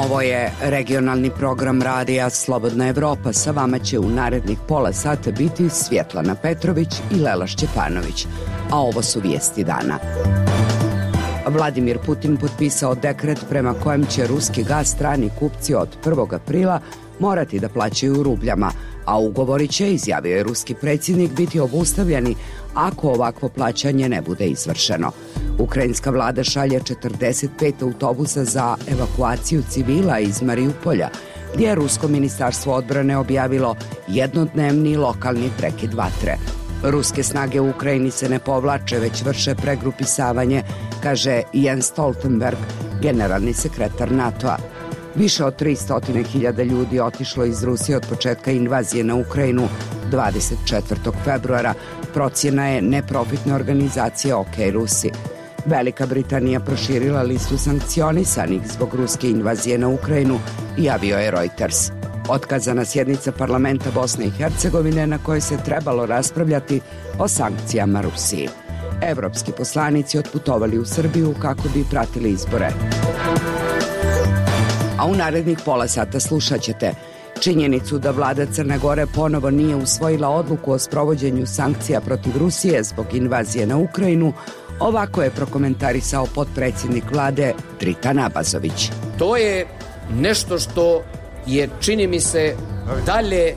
Ovo je regionalni program radija Slobodna Evropa. Sa vama će u narednih pola sata biti Svjetlana Petrović i Lela Šćepanović. A ovo su vijesti dana. Vladimir Putin potpisao dekret prema kojem će ruski gaz strani kupci od 1. aprila morati da plaćaju u rubljama, a ugovori će, izjavio je ruski predsjednik, biti obustavljeni ako ovakvo plaćanje ne bude izvršeno. Ukrajinska vlada šalje 45 autobusa za evakuaciju civila iz Mariupolja, gdje je Rusko ministarstvo odbrane objavilo jednodnevni lokalni prekid vatre. Ruske snage u Ukrajini se ne povlače, već vrše pregrupisavanje, kaže Jens Stoltenberg, generalni sekretar NATO-a. Više od 300.000 ljudi otišlo iz Rusije od početka invazije na Ukrajinu 24. februara, procjena je neprofitne organizacije OK Rusi. Velika Britanija proširila listu sankcionisanih zbog ruske invazije na Ukrajinu, javio je Reuters. Otkazana sjednica parlamenta Bosne i Hercegovine na kojoj se trebalo raspravljati o sankcijama Rusiji. Evropski poslanici otputovali u Srbiju kako bi pratili izbore. A u narednih pola sata slušat ćete činjenicu da vlada Crne Gore ponovo nije usvojila odluku o sprovođenju sankcija protiv Rusije zbog invazije na Ukrajinu. Ovako je prokomentarisao potpredsjednik vlade Dritan Abazović. To je nešto što je, čini mi se, dalje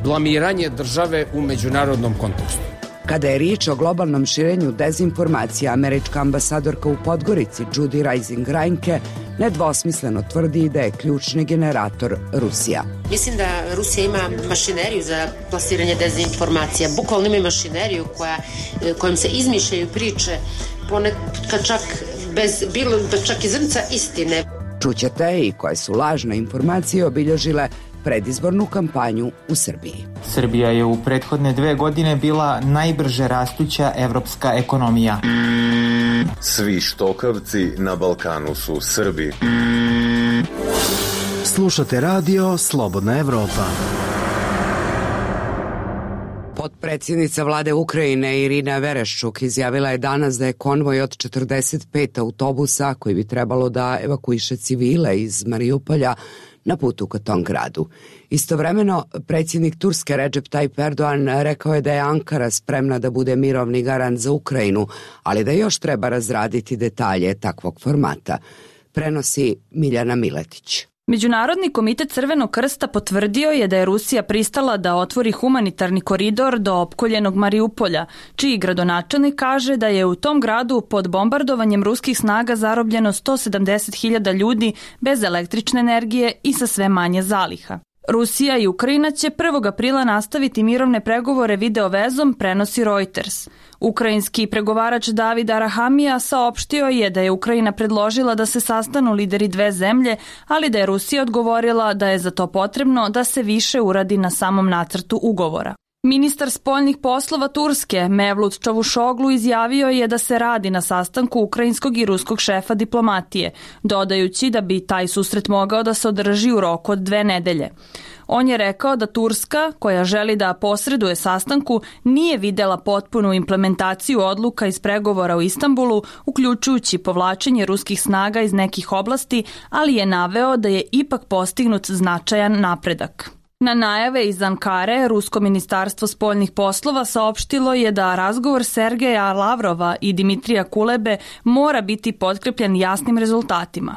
blamiranje države u međunarodnom kontekstu. Kada je riječ o globalnom širenju dezinformacija, američka ambasadorka u Podgorici Judy Rising Reinke nedvosmisleno tvrdi da je ključni generator Rusija. Mislim da Rusija ima mašineriju za plasiranje dezinformacija. Bukvalno ima mašineriju kojom se izmišljaju priče, ponekad čak i zrnca istine. Čućete i koje su lažne informacije obilježile predizbornu kampanju u Srbiji. Srbija je u prethodne 2 godine bila najbrže rastuća evropska ekonomija. Svi štokavci na Balkanu su Srbi. Slušate radio Slobodna Evropa. Potpredsjednica vlade Ukrajine Irina Vereščuk izjavila je danas da je konvoj od 45 autobusa koji bi trebalo da evakuiše civile iz Mariupolja na putu ka tom gradu. Istovremeno, predsjednik Turske Recep Tayyip Erdogan rekao je da je Ankara spremna da bude mirovni garant za Ukrajinu, ali da još treba razraditi detalje takvog formata. Prenosi Miljana Miletić. Međunarodni komitet Crvenog krsta potvrdio je da je Rusija pristala da otvori humanitarni koridor do opkoljenog Mariupolja, čiji gradonačelnik kaže da je u tom gradu pod bombardovanjem ruskih snaga zarobljeno 170.000 ljudi bez električne energije i sa sve manje zaliha. Rusija i Ukrajina će 1. aprila nastaviti mirovne pregovore video vezom, prenosi Reuters. Ukrajinski pregovarač David Arahamija saopštio je da je Ukrajina predložila da se sastanu lideri 2 zemlje, ali da je Rusija odgovorila da je za to potrebno da se više uradi na samom nacrtu ugovora. Ministar spoljnih poslova Turske Mevlut Čavuşoglu izjavio je da se radi na sastanku ukrajinskog i ruskog šefa diplomatije, dodajući da bi taj susret mogao da se održi u roku od 2 nedelje. On je rekao da Turska, koja želi da posreduje sastanku, nije videla potpunu implementaciju odluka iz pregovora u Istanbulu, uključujući povlačenje ruskih snaga iz nekih oblasti, ali je naveo da je ipak postignut značajan napredak. Na najave iz Ankare, Rusko ministarstvo spoljnih poslova saopštilo je da razgovor Sergeja Lavrova i Dimitrija Kulebe mora biti potkrepljen jasnim rezultatima.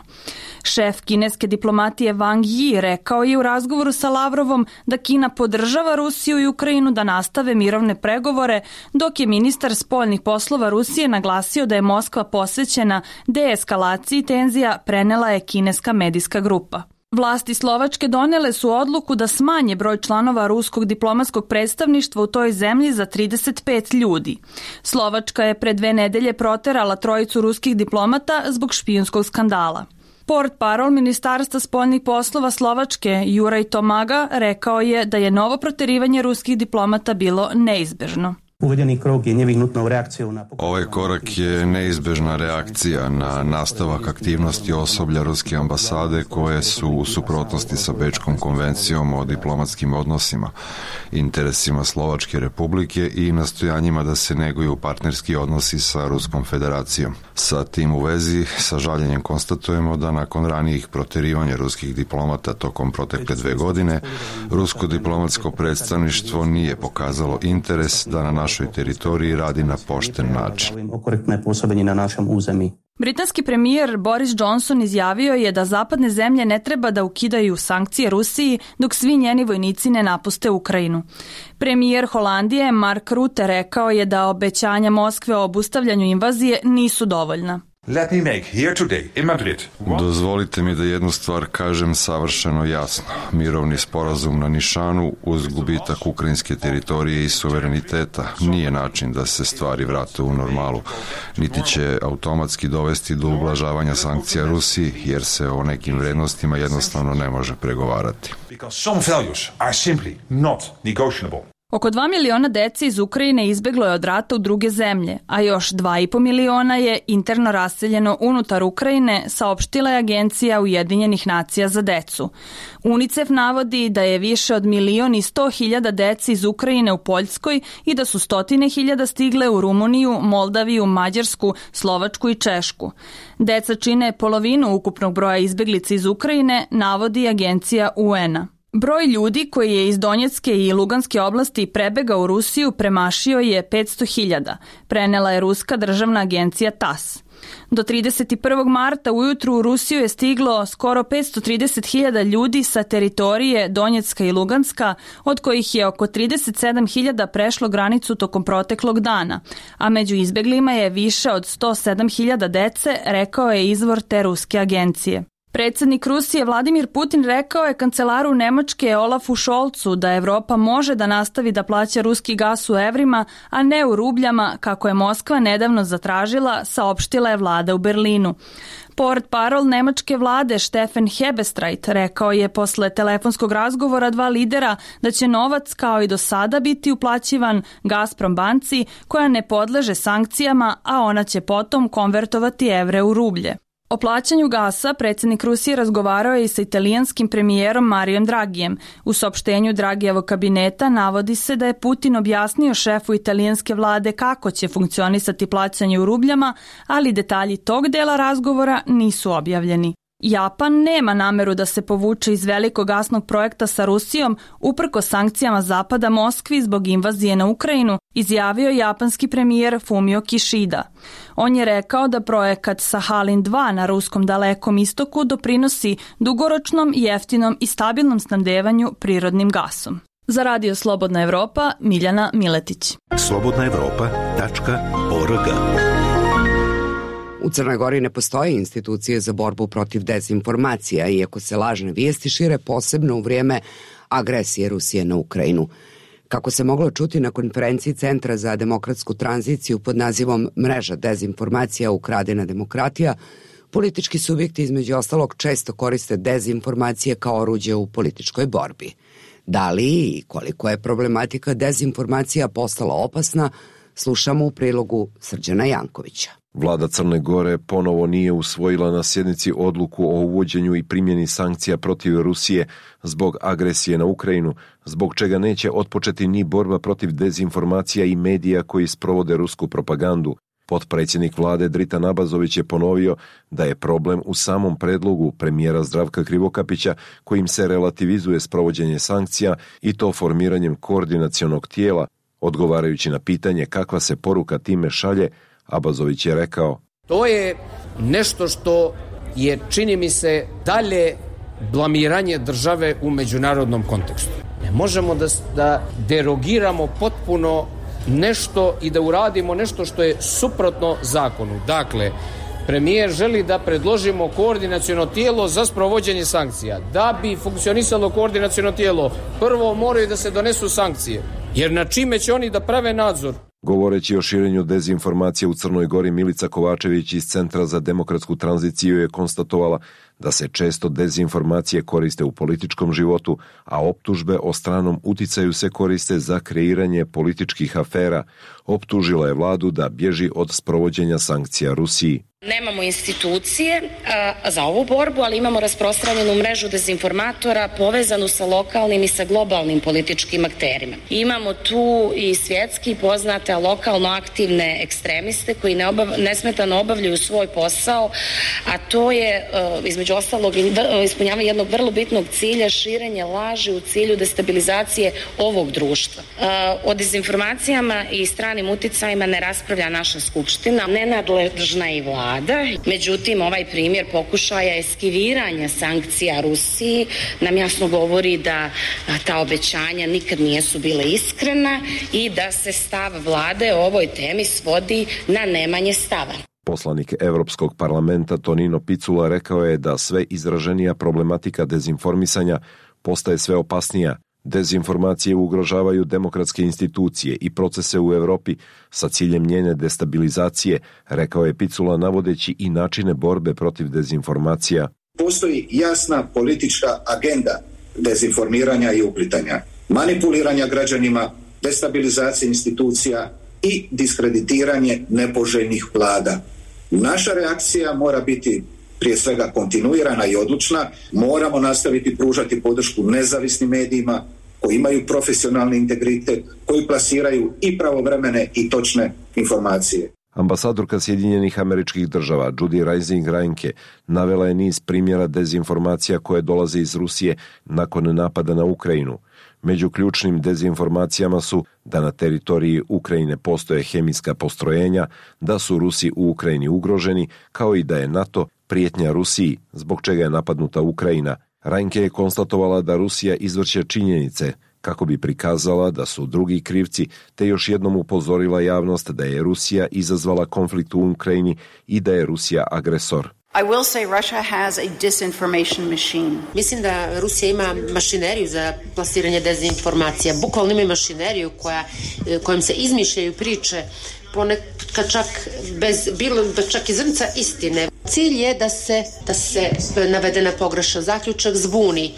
Šef kineske diplomatije Wang Yi rekao je u razgovoru sa Lavrovom da Kina podržava Rusiju i Ukrajinu da nastave mirovne pregovore, dok je ministar spoljnih poslova Rusije naglasio da je Moskva posvećena deeskalaciji tenzija, prenela je kineska medijska grupa. Vlasti Slovačke donele su odluku da smanje broj članova ruskog diplomatskog predstavništva u toj zemlji za 35 ljudi. Slovačka je pre 2 nedelje proterala 3 ruskih diplomata zbog špijunskog skandala. Portparol Ministarstva spoljnih poslova Slovačke Juraj Tomaga rekao je da je novo proterivanje ruskih diplomata bilo neizbežno. Ovaj korak je neizbežna reakcija na nastavak aktivnosti osoblja ruske ambasade koje su u suprotnosti sa Bečkom konvencijom o diplomatskim odnosima, interesima Slovačke republike i nastojanjima da se neguju partnerski odnosi sa Ruskom federacijom. Sa tim u vezi, sa žaljenjem konstatujemo da nakon ranijih proterivanja ruskih diplomata tokom protekle 2 godine, rusko diplomatsko predstavništvo nije pokazalo interes da na našoj teritoriji radi na pošten način. Britanski premijer Boris Johnson izjavio je da zapadne zemlje ne treba da ukidaju sankcije Rusiji dok svi njeni vojnici ne napuste Ukrajinu. Premijer Holandije Mark Rutte rekao je da obećanja Moskve o obustavljanju invazije nisu dovoljna. Dozvolite mi da jednu stvar kažem savršeno jasno. Mirovni sporazum na nišanu uz gubitak ukrajinske teritorije i suvereniteta nije način da se stvari vrate u normalu, niti će automatski dovesti do ublažavanja sankcija Rusiji, jer se o nekim vrednostima jednostavno ne može pregovarati. Oko 2 miliona dece iz Ukrajine izbeglo je od rata u druge zemlje, a još 2,5 miliona je interno raseljeno unutar Ukrajine, saopštila je Agencija Ujedinjenih nacija za decu. UNICEF navodi da je više od 1.100.000 dece iz Ukrajine u Poljskoj i da su 100.000 stigle u Rumuniju, Moldaviju, Mađarsku, Slovačku i Češku. Deca čine polovinu ukupnog broja izbeglica iz Ukrajine, navodi Agencija UN-a. Broj ljudi koji je iz Donjecke i Luganske oblasti prebegao u Rusiju premašio je 500.000, prenela je ruska državna agencija TASS. Do 31. marta ujutru u Rusiju je stiglo skoro 530.000 ljudi sa teritorije Donjecka i Luganska, od kojih je oko 37.000 prešlo granicu tokom proteklog dana, a među izbeglima je više od 107.000 dece, rekao je izvor te ruske agencije. Predsjednik Rusije Vladimir Putin rekao je kancelaru Nemačke Olafu Scholzu da Evropa može da nastavi da plaća ruski gas u evrima, a ne u rubljama, kako je Moskva nedavno zatražila, saopštila je vlada u Berlinu. Portparol nemačke vlade Steffen Hebestreit rekao je posle telefonskog razgovora 2 lidera da će novac kao i do sada biti uplaćivan Gazprom banci koja ne podleže sankcijama, a ona će potom konvertovati evre u rublje. O plaćanju gasa predsjednik Rusije razgovarao je i sa italijanskim premijerom Mariom Dragijem. U saopštenju Dragijevog kabineta navodi se da je Putin objasnio šefu italijanske vlade kako će funkcionisati plaćanje u rubljama, ali detalji tog dela razgovora nisu objavljeni. Japan nema nameru da se povuče iz velikog gasnog projekta sa Rusijom uprkos sankcijama Zapada Moskvi zbog invazije na Ukrajinu, izjavio japanski premijer Fumio Kishida. On je rekao da projekat Sahalin 2 na ruskom Dalekom istoku doprinosi dugoročnom, jeftinom i stabilnom snabdevanju prirodnim gasom. Za Radio Slobodna Evropa, Miljana Miletić. slobodnaevropa.org. U Crnoj Gori ne postoje institucije za borbu protiv dezinformacija, iako se lažne vijesti šire posebno u vrijeme agresije Rusije na Ukrajinu. Kako se moglo čuti na konferenciji Centra za demokratsku tranziciju pod nazivom Mreža dezinformacija ukradena demokratija, politički subjekti između ostalog često koriste dezinformacije kao oruđe u političkoj borbi. Da li i koliko je problematika dezinformacija postala opasna, slušamo u prilogu Srđana Jankovića. Vlada Crne Gore ponovo nije usvojila na sjednici odluku o uvođenju i primjeni sankcija protiv Rusije zbog agresije na Ukrajinu, zbog čega neće otpočeti ni borba protiv dezinformacija i medija koji sprovode rusku propagandu. Potpredsjednik vlade Dritan Abazović je ponovio da je problem u samom predlogu premijera Zdravka Krivokapića kojim se relativizuje sprovođenje sankcija i to formiranjem koordinacionog tijela. Odgovarajući na pitanje kakva se poruka time šalje, Abazović je rekao: To je nešto što je, čini mi se, dalje blamiranje države u međunarodnom kontekstu. Ne možemo da derogiramo potpuno nešto i da uradimo nešto što je suprotno zakonu. Dakle, premijer želi da predložimo koordinaciono tijelo za sprovođenje sankcija. Da bi funkcionisalo koordinaciono tijelo, prvo moraju da se donesu sankcije. Jer na čime će oni da prave nadzor? Govoreći o širenju dezinformacije u Crnoj Gori, Milica Kovačević iz Centra za demokratsku tranziciju je konstatovala da se često dezinformacije koriste u političkom životu, a optužbe o stranom uticaju se koriste za kreiranje političkih afera. Optužila je vladu da bježi od sprovođenja sankcija Rusiji. Nemamo institucije za ovu borbu, ali imamo rasprostranjenu mrežu dezinformatora povezanu sa lokalnim i sa globalnim političkim akterima. Imamo tu i svjetski poznate, lokalno aktivne ekstremiste koji nesmetano obavljaju svoj posao, a to je između ostalog ispunjavanje jednog vrlo bitnog cilja, širenje laži u cilju destabilizacije ovog društva. O dezinformacijama i stranim uticajima ne raspravlja naša skupština, nenadležna i vlada. Međutim, ovaj primjer pokušaja eskiviranja sankcija Rusiji nam jasno govori da ta obećanja nikad nisu bile iskrena i da se stav vlade o ovoj temi svodi na nemanje stava. Poslanik Evropskog parlamenta Tonino Picula rekao je da sve izraženija problematika dezinformisanja postaje sve opasnija. Dezinformacije ugrožavaju demokratske institucije i procese u Europi sa ciljem njene destabilizacije, rekao je Picula navodeći i načine borbe protiv dezinformacija. Postoji jasna politička agenda dezinformiranja i uplitanja, manipuliranja građanima, destabilizacije institucija i diskreditiranje nepoželjnih vlada. Naša reakcija mora biti prije svega kontinuirana i odlučna. Moramo nastaviti pružati podršku nezavisnim medijima koji imaju profesionalni integritet, koji plasiraju i pravovremene i točne informacije. Ambasadorka Sjedinjenih Američkih Država Judy Rising Reinke navela je niz primjera dezinformacija koje dolaze iz Rusije nakon napada na Ukrajinu. Među ključnim dezinformacijama su da na teritoriji Ukrajine postoje hemijska postrojenja, da su Rusi u Ukrajini ugroženi, kao i da je NATO prijetnja Rusiji, zbog čega je napadnuta Ukrajina. Reinke je konstatovala da Rusija izvrće činjenice kako bi prikazala da su drugi krivci, te još jednom upozorila javnost da je Rusija izazvala konflikt u Ukrajini i da je Rusija agresor. I will say Russia has a disinformation machine. Mislim da Rusija ima mašineriju za plasiranje dezinformacija. Bukvalno ima mašineriju kojom se izmišljaju priče, ponekad čak i zrnca istine. Cilj je da se navedena pogrešan zaključak zbuni.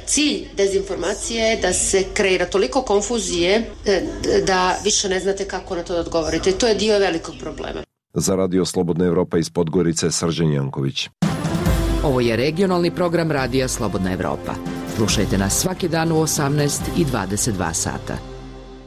Cilj dezinformacije je da se kreira toliko konfuzije da više ne znate kako na to da odgovorite. To je dio velikog problema. Za Radio Slobodna Evropa iz Podgorice, Srđan Janković. Ovo je regionalni program Radija Slobodna Evropa. Slušajte nas svaki dan u 18 i 22 sata.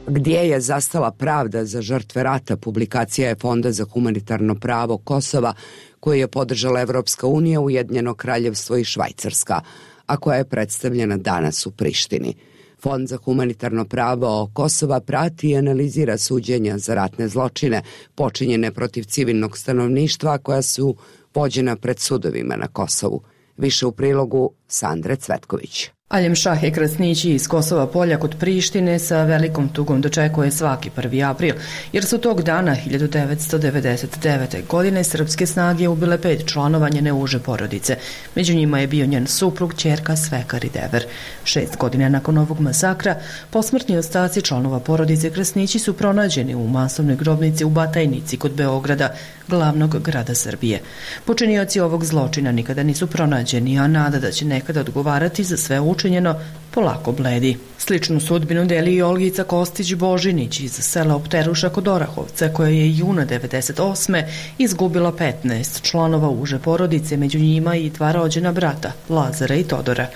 Gdje je zastala pravda za žrtve rata? Publikacija je Fonda za humanitarno pravo Kosova, koju je podržala Evropska unija, Ujedinjeno Kraljevstvo i Švajcarska, a koja je predstavljena danas u Prištini. Fond za humanitarno pravo Kosova prati i analizira suđenja za ratne zločine počinjene protiv civilnog stanovništva koja su vođena pred sudovima na Kosovu. Više u prilogu Sandre Cvetković. Aljem Šahe Krasnići iz Kosova Polja kod Prištine sa velikom tugom dočekuje svaki 1. april, jer su tog dana 1999. godine srpske snage ubile 5 članova njene uže porodice. Među njima je bio njen suprug, ćerka Svekar i Dever. 6 godina nakon ovog masakra, posmrtni ostaci članova porodice Krasnići su pronađeni u masovnoj grobnici u Batajnici kod Beograda, glavnog grada Srbije. Počinioci ovog zločina nikada nisu pronađeni, a nada da će nekada odgovarati za sve učinjeno polako bledi. Sličnu sudbinu deli i Olgica Kostić-Božinić iz sela Opteruša kod Orahovca, koja je juna 1998. izgubila 15 članova uže porodice, među njima i 2 rođena brata, Lazara i Todora.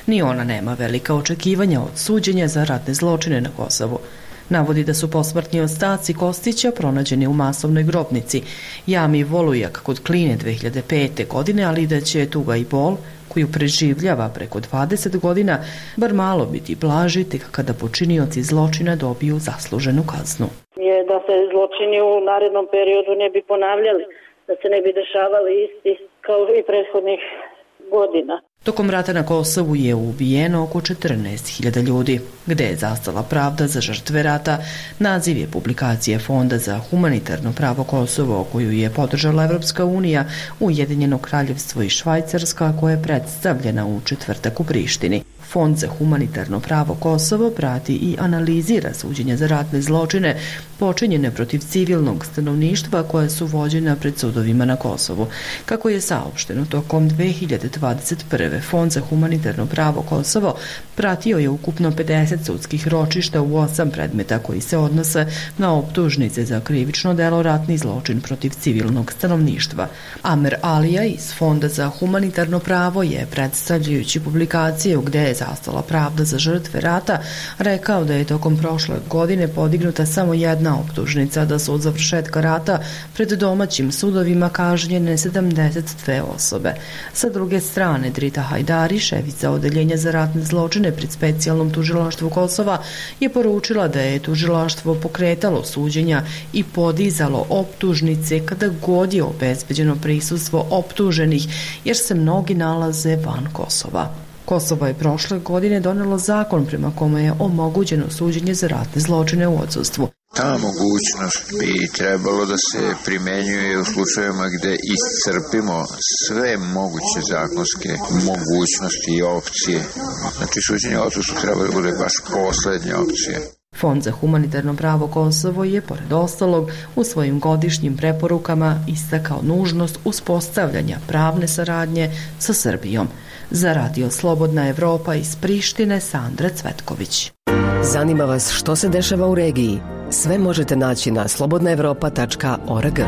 Ni ona nema velika očekivanja od suđenja za ratne zločine na Kosovu. Navodi da su posmrtni ostaci Kostića pronađeni u masovnoj grobnici jami Volujak kod Kline 2005. godine, ali da će tuga i bol koju preživljava preko 20 godina bar malo biti blaži tek kada počinioci zločina dobiju zasluženu kaznu. Je da se zločini u narednom periodu ne bi ponavljali, da se ne bi dešavali isti kao i prethodnih godina. Tokom rata na Kosovu je ubijeno oko 14.000 ljudi. Gde je zastala pravda za žrtve rata? Naziv je publikacije Fonda za humanitarno pravo Kosovo, koju je podržala Evropska unija, Ujedinjeno Kraljevstvo i Švajcarska, koja je predstavljena u četvrtak u Prištini. Fond za humanitarno pravo Kosovo prati i analizira suđenja za ratne zločine počinjene protiv civilnog stanovništva koja su vođena pred sudovima na Kosovu. Kako je saopšteno, tokom 2021. Fond za humanitarno pravo Kosovo pratio je ukupno 50 sudskih ročišta u 8 predmeta koji se odnose na optužnice za krivično delo ratni zločin protiv civilnog stanovništva. Amer Alija iz Fonda za humanitarno pravo je, predstavljajući publikaciju Gde je zastala pravda za žrtve rata, rekao da je tokom prošle godine podignuta samo jedna optužnica, da su od završetka rata pred domaćim sudovima kažnjene 72 osobe. Sa druge strane, Drita Hajdari, šefica odeljenja za ratne zločine pred specijalnom tužilaštvu Kosova, je poručila da je tužilaštvo pokretalo suđenja i podizalo optužnice kada god je obezbeđeno prisustvo optuženih, jer se mnogi nalaze van Kosova. Kosovo je prošle godine donelo zakon prema kome je omogućeno suđenje za ratne zločine u odsustvu. Ta mogućnost bi trebalo da se primenjuje u slučajevima gde iscrpimo sve moguće zakonske mogućnosti i opcije. Znači, suđenje u odsustvu treba da bude baš poslednja opcija. Fond za humanitarno pravo Kosovo je, pored ostalog, u svojim godišnjim preporukama istakao nužnost uspostavljanja pravne saradnje sa Srbijom. Za Radio Slobodna Evropa iz Prištine, Sandra Cvetković. Zanima vas što se dešava u regiji? Sve možete naći na slobodnaevropa.org.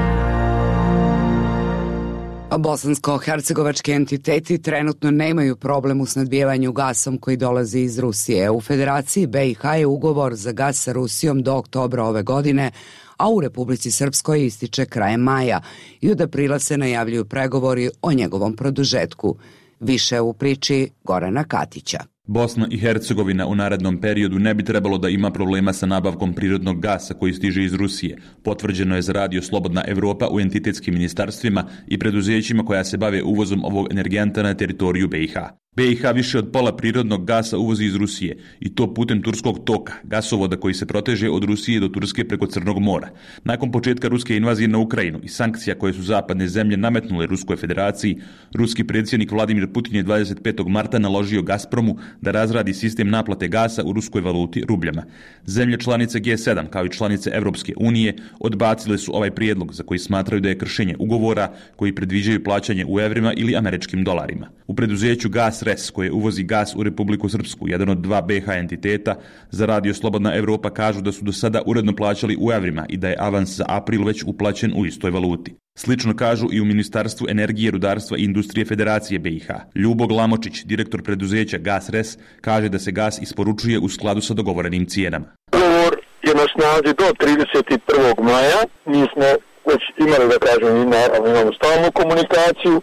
Bosansko-hercegovački entiteti trenutno nemaju problem u snabdijevanju gasom koji dolazi iz Rusije. U Federaciji BiH je ugovor za gas sa Rusijom do oktobra ove godine, a u Republici Srpskoj ističe krajem maja i od aprila se najavljuju pregovori o njegovom produžetku. Više u priči Gorana Katića. Bosna i Hercegovina u narednom periodu ne bi trebalo da ima problema sa nabavkom prirodnog gasa koji stiže iz Rusije. Potvrđeno je za Radio Slobodna Evropa u entitetskim ministarstvima i preduzećima koja se bave uvozom ovog energenta na teritoriju BiH. BiH više od pola prirodnog gasa uvozi iz Rusije i to putem Turskog toka, gasovoda koji se proteže od Rusije do Turske preko Crnog mora. Nakon početka ruske invazije na Ukrajinu i sankcija koje su zapadne zemlje nametnule Ruskoj federaciji, ruski predsjednik Vladimir Putin je 25. marta naložio Gazpromu da razradi sistem naplate gasa u ruskoj valuti rubljama. Zemlje članice G7 kao i članice Evropske unije odbacile su ovaj prijedlog za koji smatraju da je kršenje ugovora koji predviđaju plaćanje u evrima ili američkim dolarima. U preduzeću GasRes koje uvozi gas u Republiku Srpsku, jedan od dva BiH entiteta, za Radio Slobodna Evropa kažu da su do sada uredno plaćali u evrima i da je avans za april već uplaćen u istoj valuti. Slično kažu i u Ministarstvu energije, rudarstva i industrije Federacije BiH. Ljubo Glamočić, direktor preduzeća GasRes, kaže da se gas isporučuje u skladu sa dogovorenim cijenama. Ugovor je na snazi do 31. maja. Mi smo već imali, da kažem, imamo stalnu komunikaciju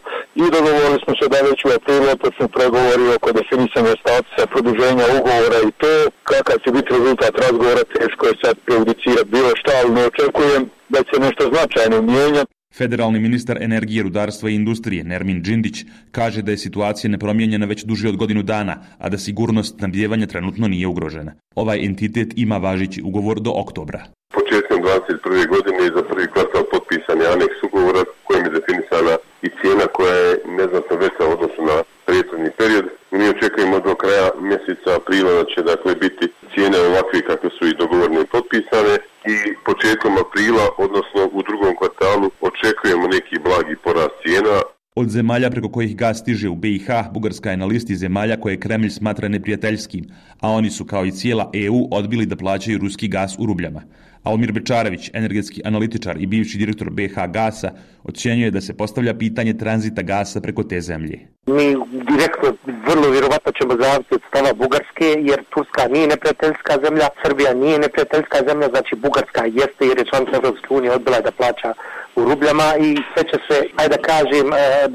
i dogovorili smo se da već u aprilu počnu pregovori oko definisanja statusa, produženja ugovora i to. Kakav će biti rezultat razgovora, teško je sad prejudicirati bilo šta, ali ne očekujem da će nešto značajno mijenjati. Federalni ministar energije, rudarstva i industrije Nermin Džindić kaže da je situacija nepromijenjena već duže od godinu dana, a da sigurnost snabdijevanja trenutno nije ugrožena. Ovaj entitet ima važeći ugovor do oktobra. Početkom 2021. godine za prvi kvartal potpisan je aneks ugovora kojim je definisana i cijena koja je neznatno veća u odnosu na prethodni period. Mi očekujemo do kraja mjeseca aprila da će biti cijene ovakve kakve su i dogovorene i potpisane i početkom aprila, odnosno u drugom kvartalu, očekujemo neki blagi porast cijena. Od zemalja preko kojih gas stiže u BiH, Bugarska je na listi zemalja koje Kremlj smatra neprijateljskim, a oni su kao i cijela EU odbili da plaćaju ruski gas u rubljama. Almir Bečarević, energetski analitičar i bivši direktor BiH Gasa, ocjenjuje da se postavlja pitanje tranzita gasa preko te zemlje. Mi direktno vrlo vjerovatno ćemo zavisiti od stava Bugarske, jer Turska nije neprijateljska zemlja, Srbija nije neprijateljska zemlja, znači Bugarska jeste jer je članica Evropske unije odbila da plaća u rubljama i sve će se, ajde da kažem,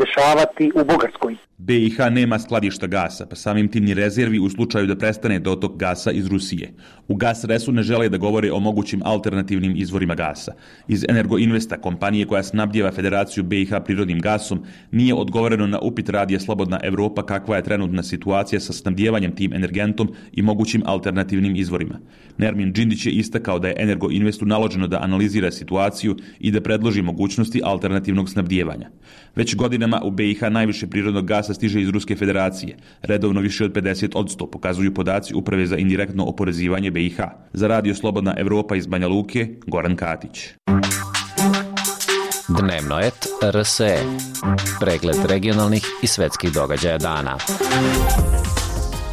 dešavati u Bugarskoj. BiH nema skladišta gasa, pa samim tim ni rezervi u slučaju da prestane dotok gasa iz Rusije. U GasResu ne žele da govore o mogućim alternativnim izvorima gasa. Iz Energoinvesta, kompanije koja snabdijeva Federaciju BiH prirodnim gasom, nije odgovoreno na upit Radija Slobodna Evropa kakva je trenutna situacija sa snabdijevanjem tim energentom i mogućim alternativnim izvorima. Nermin Džindić je istakao da je Energoinvestu naloženo da analizira situaciju i da predloži mogućnosti alternativnog snabdijevanja. Već godinama u BiH najviše prirodnog gasa gasa stiže iz Ruske federacije, redovno više od 50%, pokazuju podaci Uprave za indirektno oporezivanje BiH. Za Radio Slobodna Evropa iz Banja Luke, Goran Katić. Dnevnoet RSE. Pregled regionalnih i svetskih događaja dana.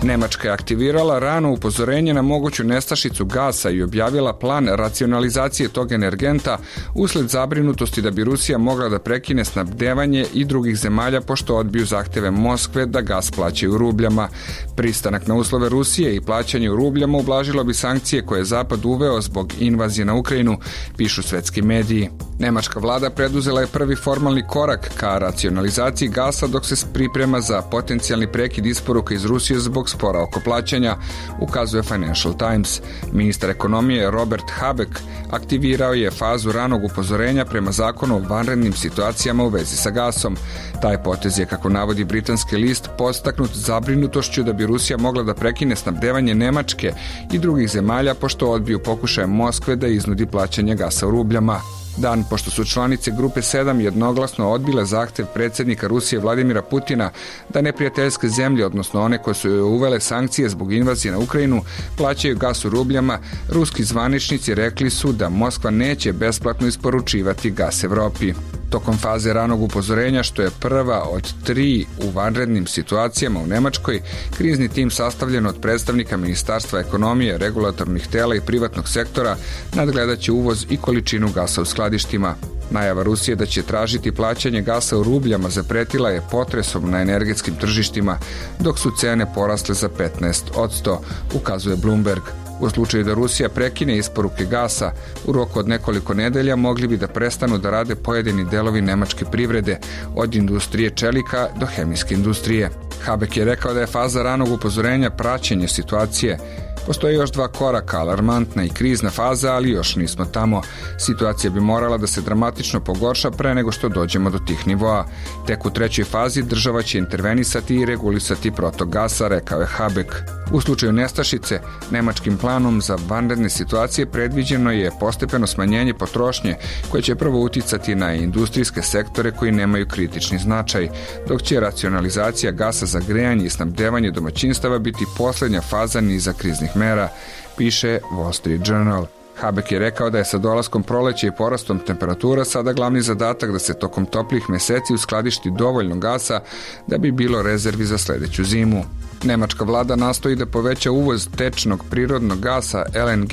Nemačka je aktivirala rano upozorenje na moguću nestašicu gasa i objavila plan racionalizacije tog energenta usled zabrinutosti da bi Rusija mogla da prekine snabdevanje i drugih zemalja pošto odbiju zahteve Moskve da gas plaćaju u rubljama. Pristanak na uslove Rusije i plaćanje u rubljama ublažilo bi sankcije koje je Zapad uveo zbog invazije na Ukrajinu, pišu svetski mediji. Nemačka vlada preduzela je prvi formalni korak ka racionalizaciji gasa dok se priprema za potencijalni prekid isporuka iz Rusije zbog spora oko plaćanja, ukazuje Financial Times. Ministar ekonomije Robert Habeck aktivirao je fazu ranog upozorenja prema zakonu o vanrednim situacijama u vezi sa gasom. Taj potez je, kako navodi britanski list, podstaknut zabrinutošću da bi Rusija mogla da prekine snabdevanje Nemačke i drugih zemalja pošto odbiju pokušaje Moskve da iznudi plaćanje gasa u rubljama. Dan pošto su članice Grupe 7 jednoglasno odbile zahtev predsjednika Rusije Vladimira Putina da neprijateljske zemlje, odnosno one koje su uvele sankcije zbog invazije na Ukrajinu, plaćaju gas u rubljama, ruski zvaničnici rekli su da Moskva neće besplatno isporučivati gas Evropi. Tokom faze ranog upozorenja, što je prva od 3 u vanrednim situacijama u Nemačkoj, krizni tim sastavljen od predstavnika Ministarstva ekonomije, regulatornih tela i privatnog sektora nadgledat će uvoz i količinu gasa u skladištima. Najava Rusije da će tražiti plaćanje gasa u rubljama zapretila je potresom na energetskim tržištima, dok su cene porasle za 15%, ukazuje Bloomberg. U slučaju da Rusija prekine isporuke gasa, u roku od nekoliko nedelja mogli bi da prestanu da rade pojedini delovi nemačke privrede, od industrije čelika do hemijske industrije. Habeck je rekao da je faza ranog upozorenja praćenje situacije. Postoje još 2 koraka, alarmantna i krizna faza, ali još nismo tamo. Situacija bi morala da se dramatično pogorša pre nego što dođemo do tih nivoa. Tek u 3. fazi država će intervenisati i regulisati protok gasa, rekao je Habeck. U slučaju nestašice, nemačkim planom za vanredne situacije predviđeno je postepeno smanjenje potrošnje koje će prvo uticati na industrijske sektore koji nemaju kritični značaj, dok će racionalizacija gasa za grejanje i snabdevanje domaćinstava biti posljednja faza niza kriznih mera, piše Wall Street Journal. Habeck je rekao da je sa dolaskom proleća i porastom temperatura sada glavni zadatak da se tokom toplih meseci uskladišti dovoljno gasa da bi bilo rezervi za sljedeću zimu. Nemačka vlada nastoji da poveća uvoz tečnog prirodnog gasa LNG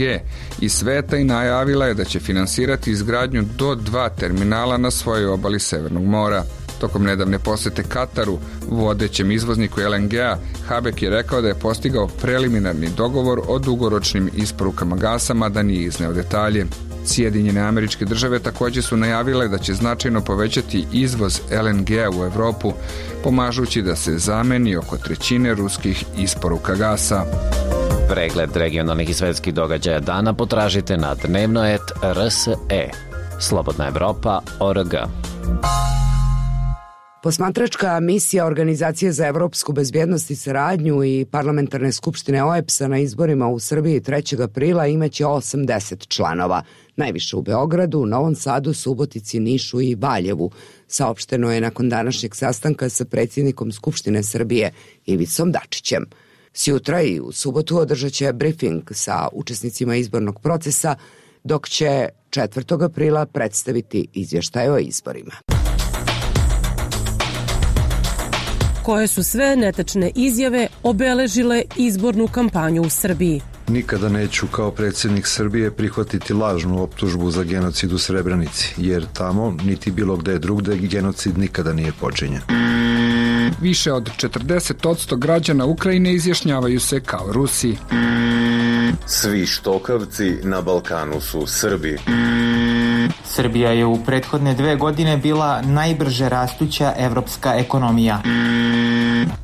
iz sveta i najavila je da će finansirati izgradnju do 2 terminala na svojoj obali Severnog mora. Tokom nedavne posete Kataru, vodećem izvozniku LNG-a, Habeck je rekao da je postigao preliminarni dogovor o dugoročnim isporukama gasa, mada nije izneo detalje. Sjedinjene Američke Države također su najavile da će značajno povećati izvoz LNG-a u Evropu, pomažući da se zameni oko 1/3 ruskih isporuka gasa. Pregled regionalnih i svetskih događaja dana potražite na Dnevnoet RSE. Slobodna Evropa.org. Posmatračka misija Organizacije za evropsku bezbjednost i saradnju i parlamentarne skupštine OEBS-a na izborima u Srbiji 3. aprila imaće 80 članova. Najviše u Beogradu, Novom Sadu, Subotici, Nišu i Valjevu. Saopšteno je nakon današnjeg sastanka sa predsjednikom Skupštine Srbije Ivicom Dačićem. Sjutra i u subotu održat će briefing sa učesnicima izbornog procesa, dok će 4. aprila predstaviti izvještaj o izborima. Koje su sve netačne izjave obeležile izbornu kampanju u Srbiji? Nikada neću kao predsjednik Srbije prihvatiti lažnu optužbu za genocid u Srebrenici, jer tamo, niti bilo gde drugde, genocid nikada nije počinjen. Više od 40% građana Ukrajine izjašnjavaju se kao Rusi. Svi štokavci na Balkanu su Srbi. Srbija je u prethodne 2 godine bila najbrže rastuća evropska ekonomija.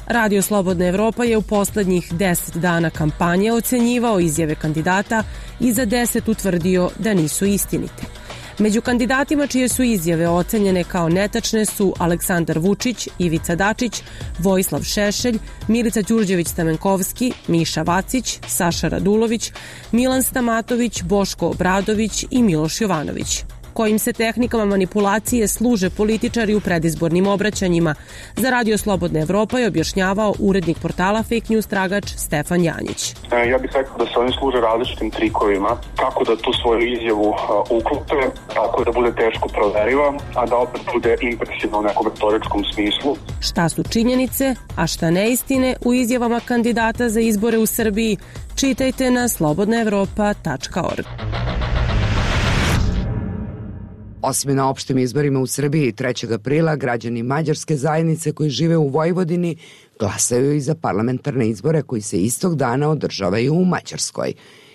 Radio Slobodna Evropa je u poslednjih 10 dana kampanje ocenjivao izjave kandidata i za 10 utvrdio da nisu istinite. Među kandidatima čije su izjave ocenjene kao netačne su Aleksandar Vučić, Ivica Dačić, Vojislav Šešelj, Milica Đurđević-Stamenkovski, Miša Vacić, Saša Radulović, Milan Stamatović, Boško Obradović i Miloš Jovanović. kojim se tehnikama manipulacije služe političari u predizbornim obraćanjima. Za Radio Slobodna Evropa je objašnjavao urednik portala Fake News Tragač Stefan Janjić. Ja bih rekao da se oni služe različitim trikovima, kako da tu svoju izjavu uklope, tako da bude teško proveriva, a da opet bude impresivno u nekom retoričkom smislu. Šta su činjenice, a šta neistine u izjavama kandidata za izbore u Srbiji, čitajte na slobodnaevropa.org. Osim na opštim izborima u Srbiji 3. aprila građani mađarske zajednice koji žive u Vojvodini glasaju i za parlamentarne izbore koji se istog dana održavaju u Mađarskoj.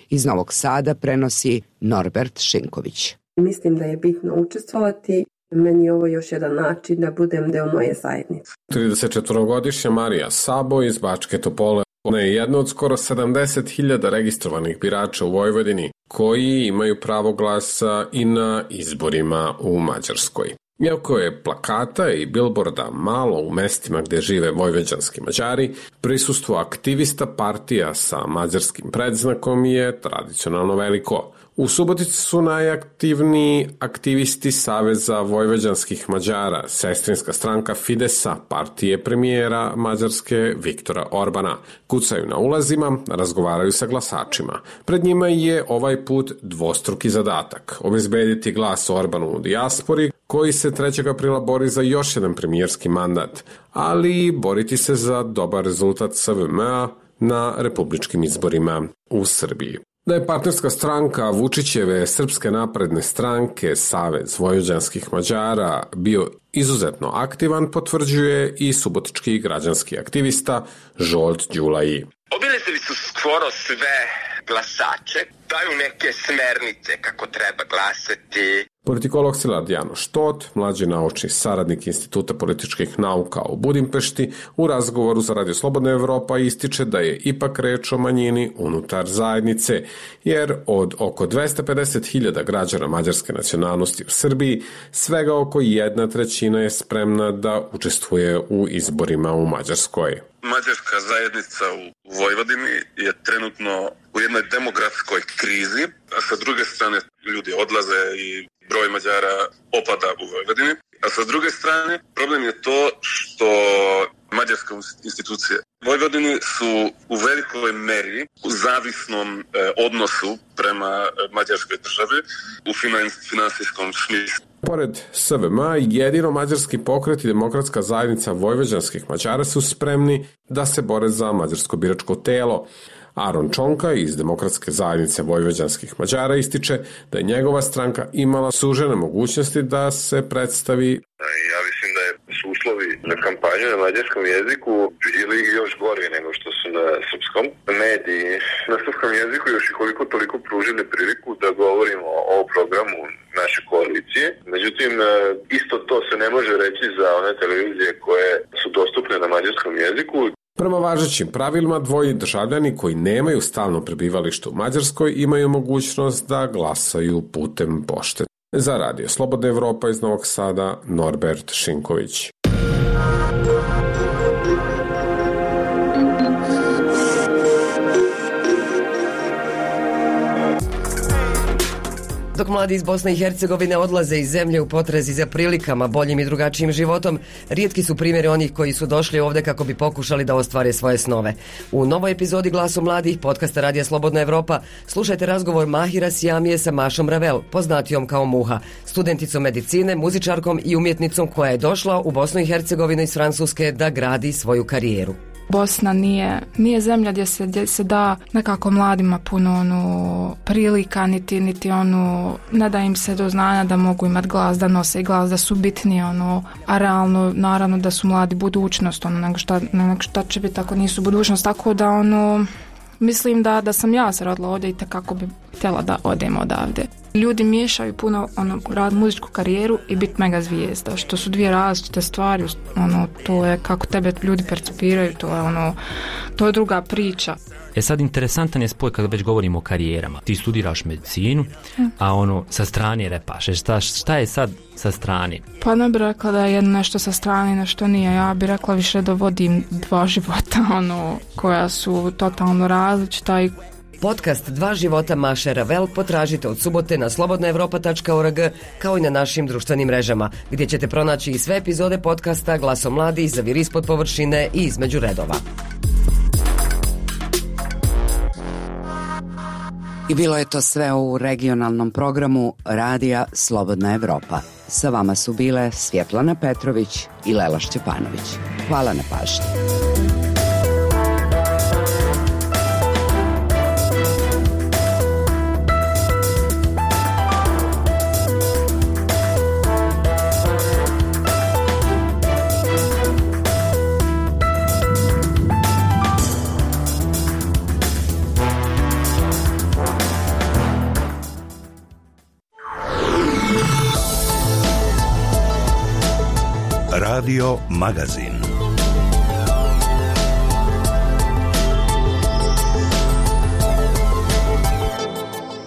Iz Novog Sada prenosi Norbert Šinković. Mislim da je bitno učestvovati. Meni je ovo još jedan način da budem deo moje zajednice. 34-godišnja Marija Sabo iz Bačke Topole. Ona je jedna od skoro 70.000 registrovanih birača u Vojvodini koji imaju pravo glasa i na izborima u Mađarskoj. Iako je plakata i bilborda malo u mestima gde žive vojvođanski Mađari, prisustvo aktivista partija sa mađarskim predznakom je tradicionalno veliko. U Subotici su najaktivniji aktivisti Saveza vojvođanskih Mađara, sestrinska stranka Fidesa, partije premijera Mađarske Viktora Orbana. Kucaju na ulazima, razgovaraju sa glasačima. Pred njima je ovaj put dvostruki zadatak – obezbediti glas Orbanu u dijaspori, koji se 3. aprila bori za još jedan premijerski mandat, ali boriti se za dobar rezultat SVM-a na republičkim izborima u Srbiji. Da je partnerska stranka Vučićeve Srpske napredne stranke Savez vojvođanskih Mađara bio izuzetno aktivan, potvrđuje i subotički građanski aktivista Žolt Đulaji. Obilazili su skoro sve glasače, daju neke smernice kako treba glasati. Politikolog Szilard Janoš Tot, mlađi naučni saradnik Instituta političkih nauka u Budimpešti, u razgovoru za Radio Slobodna Evropa ističe da je ipak reč o manjini unutar zajednice, jer od oko 250.000 građana mađarske nacionalnosti u Srbiji, svega oko 1/3 je spremna da učestvuje u izborima u Mađarskoj. Mađarska zajednica u Vojvodini je trenutno u jednoj demografskoj krizi, a sa druge strane ljudi odlaze i broj Mađara opada u Vojvodini. A sa druge strane problem je to što mađarske institucije u Vojvodini su u velikoj meri u zavisnom odnosu prema mađarskoj državi u finansijskom smislu. Pored SVM, jedino mađarski pokret i demokratska zajednica vojvođanskih Mađara su spremni da se bore za mađarsko biračko telo. Aron Čonka iz Demokratske zajednice vojvođanskih Mađara ističe da je njegova stranka imala sužene mogućnosti da se predstavi. Ja mislim da su uslovi za kampanju na mađarskom jeziku bili još gori nego što su na srpskom. Mediji na srpskom jeziku još i koliko toliko pružili priliku da govorimo o programu naše koalicije. Međutim, isto to se ne može reći za one televizije koje su dostupne na mađarskom jeziku. Prema važećim pravilima, dvoji državljani koji nemaju stalno prebivalište u Mađarskoj imaju mogućnost da glasaju putem pošte. Za Radio Slobodna Evropa iz Novog Sada, Norbert Šinković. Dok mladi iz Bosne i Hercegovine odlaze iz zemlje u potrazi za prilikama, boljim i drugačijim životom, rijetki su primjeri onih koji su došli ovde kako bi pokušali da ostvare svoje snove. U novoj epizodi Glasu mladih podcasta Radija Slobodna Evropa slušajte razgovor Mahira Sjamije sa Mašom Ravel, poznatijom kao Muha, studenticom medicine, muzičarkom i umjetnicom koja je došla u Bosnu i Hercegovinu iz Francuske da gradi svoju karijeru. Bosna nije zemlja gdje se da nekako mladima puno prilika, niti ne da im se do znanja da mogu imati glas, da nose glas, da su bitni, a realno naravno da su mladi budućnost, nego šta će biti ako nisu budućnost, tako da mislim da sam ja se rodila ovdje i kako bi htjela da odem odavde. Ljudi miješaju puno rad muzičku karijeru i biti mega zvijezda, što su dvije različite stvari, to je kako tebe ljudi percipiraju, to je druga priča. Sad interesantan je spoj kada već govorimo o karijerama. Ti studiraš medicinu, a sa strane repaš. Šta je sad sa strane? Pa ne bih rekla da je jedno nešto sa strane, nešto nije. Ja bih rekla više da vodim dva života, koja su totalno različita i Podcast Dva života Maše Ravel potražite od subote na slobodnaevropa.org kao i na našim društvenim mrežama, gdje ćete pronaći i sve epizode podcasta Glasom mladih, Zaviri ispod površine i Između redova. I bilo je to sve u regionalnom programu Radija Slobodna Evropa. Sa vama su bile Svjetlana Petrović i Lela Šćepanović. Hvala na pažnji. Radio Magazin.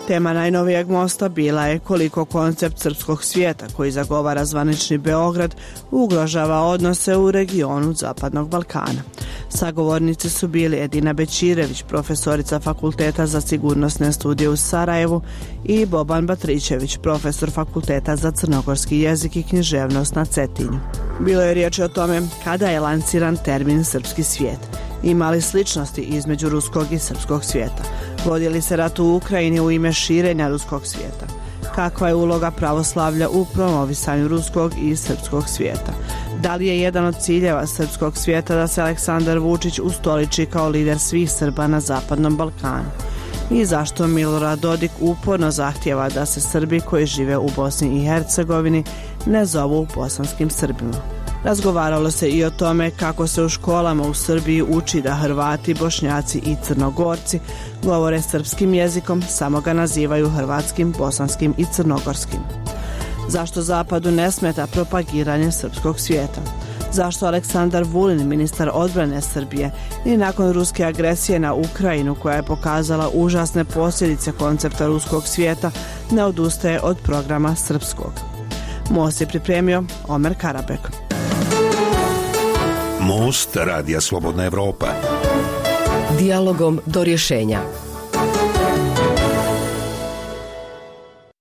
Tema najnovijeg mosta bila je koliko koncept srpskog svijeta koji zagovara zvanični Beograd ugrožava odnose u regionu Zapadnog Balkana. Sagovornici su bili Edina Bećirević, profesorica Fakulteta za sigurnosne studije u Sarajevu, i Boban Batrićević, profesor Fakulteta za crnogorski jezik i književnost na Cetinju. Bilo je riječi o tome kada je lansiran termin srpski svijet. Ima li sličnosti između ruskog i srpskog svijeta? Vodi li se rat u Ukrajini u ime širenja ruskog svijeta? Kakva je uloga pravoslavlja u promovisanju ruskog i srpskog svijeta? Da li je jedan od ciljeva srpskog svijeta da se Aleksandar Vučić ustoliči kao lider svih Srba na Zapadnom Balkanu? I zašto Milorad Dodik uporno zahtijeva da se Srbi koji žive u Bosni i Hercegovini ne zovu bosanskim Srbima? Razgovaralo se i o tome kako se u školama u Srbiji uči da Hrvati, Bošnjaci i Crnogorci govore srpskim jezikom, samo ga nazivaju hrvatskim, bosanskim i crnogorskim. Zašto Zapadu ne smeta propagiranje srpskog svijeta? Zašto Aleksandar Vulin, ministar odbrane Srbije, i nakon ruske agresije na Ukrajinu koja je pokazala užasne posljedice koncepta ruskog svijeta, ne odustaje od programa srpskog? Most je pripremio Omer Karabek. Most Radija Slobodna Evropa. Dijalogom do rješenja.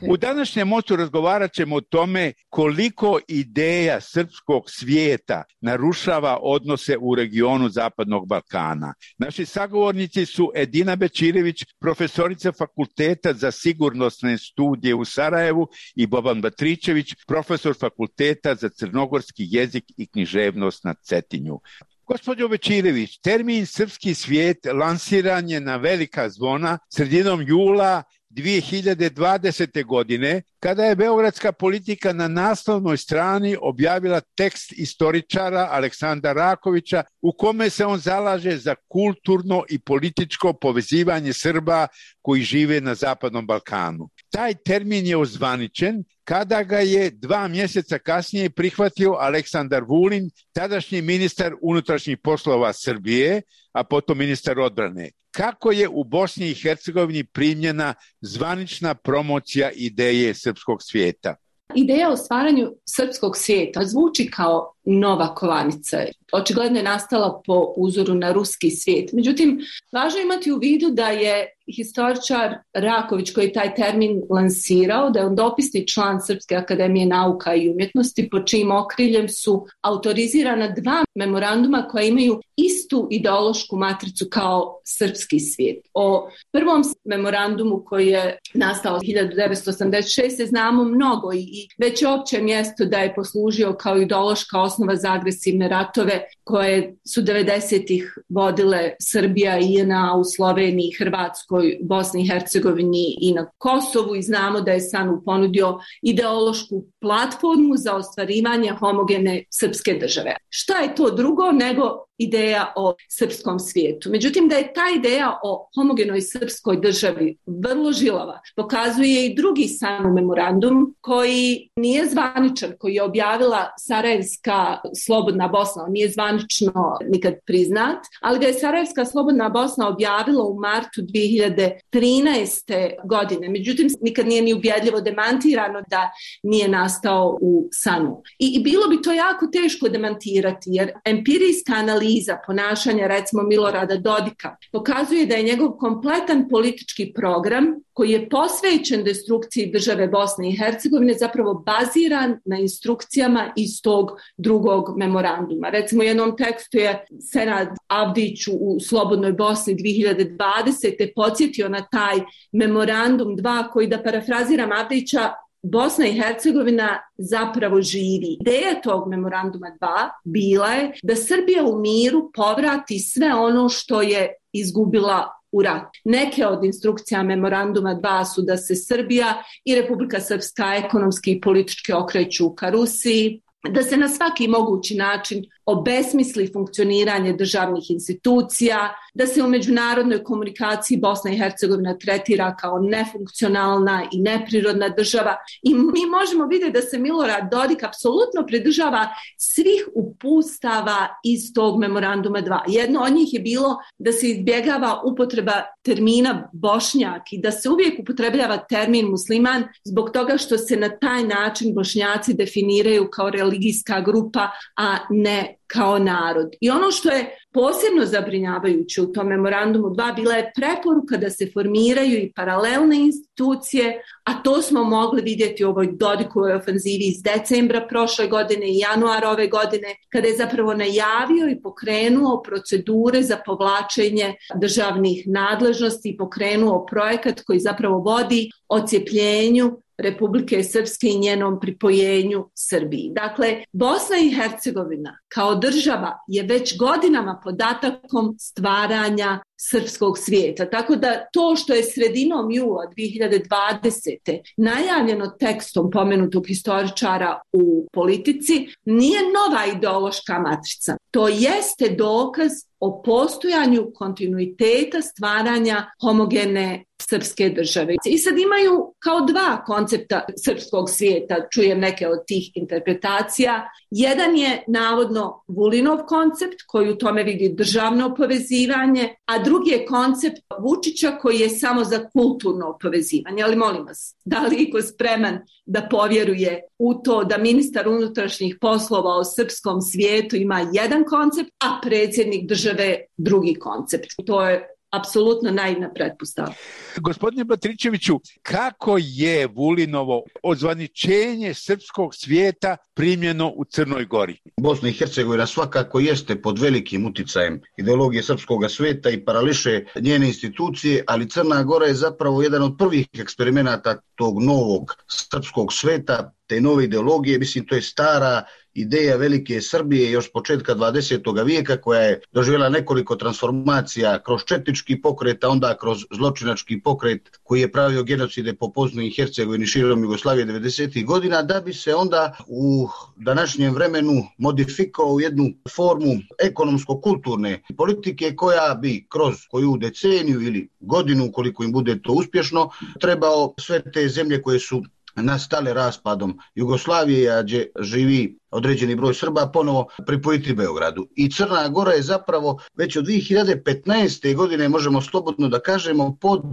U današnjem mostu razgovarat ćemo o tome koliko ideja srpskog svijeta narušava odnose u regionu Zapadnog Balkana. Naši sagovornici su Edina Bećirević, profesorica Fakulteta za sigurnosne studije u Sarajevu, i Boban Batrićević, profesor Fakulteta za crnogorski jezik i književnost na Cetinju. Gospođo Bećirević, termin srpski svijet lansiran je na velika zvona sredinom jula 2020. godine, kada je beogradska politika na naslovnoj strani objavila tekst istoričara Aleksandra Rakovića u kome se on zalaže za kulturno i političko povezivanje Srba koji žive na Zapadnom Balkanu. Taj termin je ozvaničen kada ga je 2 mjeseca kasnije prihvatio Aleksandar Vulin, tadašnji ministar unutrašnjih poslova Srbije, a potom ministar odbrane. Kako je u Bosni i Hercegovini primljena zvanična promocija ideje srpskog svijeta? Ideja o stvaranju srpskog svijeta zvuči kao nova kovanica. Očigledno je nastala po uzoru na ruski svijet. Međutim, važno je imati u vidu da je historičar Raković, koji je taj termin lansirao, da je on dopisni član Srpske akademije nauka i umjetnosti, pod čijim okriljem su autorizirana 2 memoranduma koja imaju istu ideološku matricu kao srpski svijet. O prvom memorandumu koji je nastao 1986. znamo mnogo i već je opće mjesto da je poslužio kao ideološka osnova za agresivne ratove koje su 90-ih vodile Srbija i JNA u Sloveniji, Hrvatskoj, Bosni i Hercegovini i na Kosovu, i znamo da je SANU ponudio ideološku platformu za ostvarivanje homogene srpske države. Šta je to drugo nego ideja o srpskom svijetu? Međutim, da je ta ideja o homogenoj srpskoj državi vrlo žilava, pokazuje i drugi SANU memorandum koji nije zvaničan, koji je objavila Sarajevska Slobodna Bosna. On nije zvanično nikad priznat, ali ga je Sarajevska Slobodna Bosna objavila u martu 2013. godine. Međutim, nikad nije ni ubjedljivo demantirano da nije nastao u SANU. I bilo bi to jako teško demantirati, jer empirijska analiza analiza ponašanja recimo Milorada Dodika pokazuje da je njegov kompletan politički program koji je posvećen destrukciji države Bosne i Hercegovine zapravo baziran na instrukcijama iz tog drugog memoranduma. Recimo u jednom tekstu je Senad Avdić u Slobodnoj Bosni 2020. podsjetio na taj memorandum 2 koji, da parafraziram Avdića, Bosna i Hercegovina zapravo živi. Ideja tog memoranduma 2 bila je da Srbija u miru povrati sve ono što je izgubila u ratu. Neke od instrukcija memoranduma 2 su da se Srbija i Republika Srpska ekonomski i politički okreću ka Rusiji, da se na svaki mogući način obesmisli funkcioniranje državnih institucija, da se u međunarodnoj komunikaciji Bosna i Hercegovina tretira kao nefunkcionalna i neprirodna država. I mi možemo vidjeti da se Milorad Dodik apsolutno pridržava svih upustava iz tog memoranduma 2. Jedno od njih je bilo da se izbjegava upotreba termina Bošnjak i da se uvijek upotrebljava termin musliman zbog toga što se na taj način Bošnjaci definiraju kao religijska grupa, a ne kao narod. I ono što je posebno zabrinjavajuće u tom memorandumu 2 bila je preporuka da se formiraju i paralelne institucije, a to smo mogli vidjeti u ovoj Dodikovoj ofenzivi iz decembra prošle godine i januara ove godine, kada je zapravo najavio i pokrenuo procedure za povlačenje državnih nadležnosti i pokrenuo projekat koji zapravo vodi odcijepljenju Republike Srpske i njenom pripojenju Srbiji. Dakle, Bosna i Hercegovina kao država je već godinama pod atakom stvaranja srpskog svijeta. Tako da to što je sredinom jula 2020. najavljeno tekstom pomenutog historičara u Politici nije nova ideološka matrica. To jeste dokaz o postojanju kontinuiteta stvaranja homogene srpske države. I sad imaju kao dva koncepta srpskog svijeta, čujem neke od tih interpretacija. Jedan je navodno Vulinov koncept koji u tome vidi državno povezivanje, a drugi je koncept Vučića koji je samo za kulturno povezivanje. Ali molim vas, da li iko spreman da povjeruje u to da ministar unutrašnjih poslova o srpskom svijetu ima jedan koncept, a predsjednik države drugi koncept? To je apsolutno naivna pretpostavka. Gospodine Batričeviću, kako je Vulinovo odzvaničenje srpskog svijeta primljeno u Crnoj Gori? Bosna i Hercegovina svakako jeste pod velikim uticajem ideologije srpskog svijeta i parališe njene institucije, ali Crna Gora je zapravo jedan od prvih eksperimenata tog novog srpskog svijeta, te nove ideologije. Mislim, to je stara ideja velike Srbije još početka 20. vijeka koja je doživjela nekoliko transformacija kroz četnički pokret, a onda kroz zločinački pokret koji je pravio genocide po Bosni i Hercegovini širom Jugoslavije 90. godina, da bi se onda u današnjem vremenu modifikovao u jednu formu ekonomsko-kulturne politike koja bi kroz koju deceniju ili godinu, koliko im bude to uspješno, trebao sve te zemlje koje su nastale raspadom Jugoslavije, a gdje živi određeni broj Srba, ponovo pripojiti Beogradu. I Crna Gora je zapravo već od 2015. godine, možemo slobodno da kažemo, pod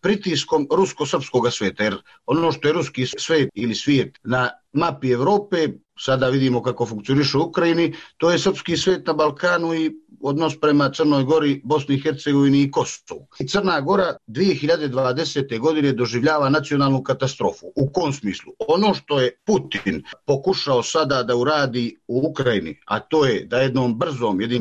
pritiskom rusko-srpskog svijeta. Jer ono što je ruski svijet ili svijet na mapi Evrope, sada vidimo kako funkcioniše u Ukrajini, to je srpski svijet na Balkanu i odnos prema Crnoj Gori, Bosni i Hercegovini i Kosovu. I Crna Gora 2020. godine doživljava nacionalnu katastrofu. U kom smislu? Ono što je Putin pokušao sada da uradi u Ukrajini, a to je da jednim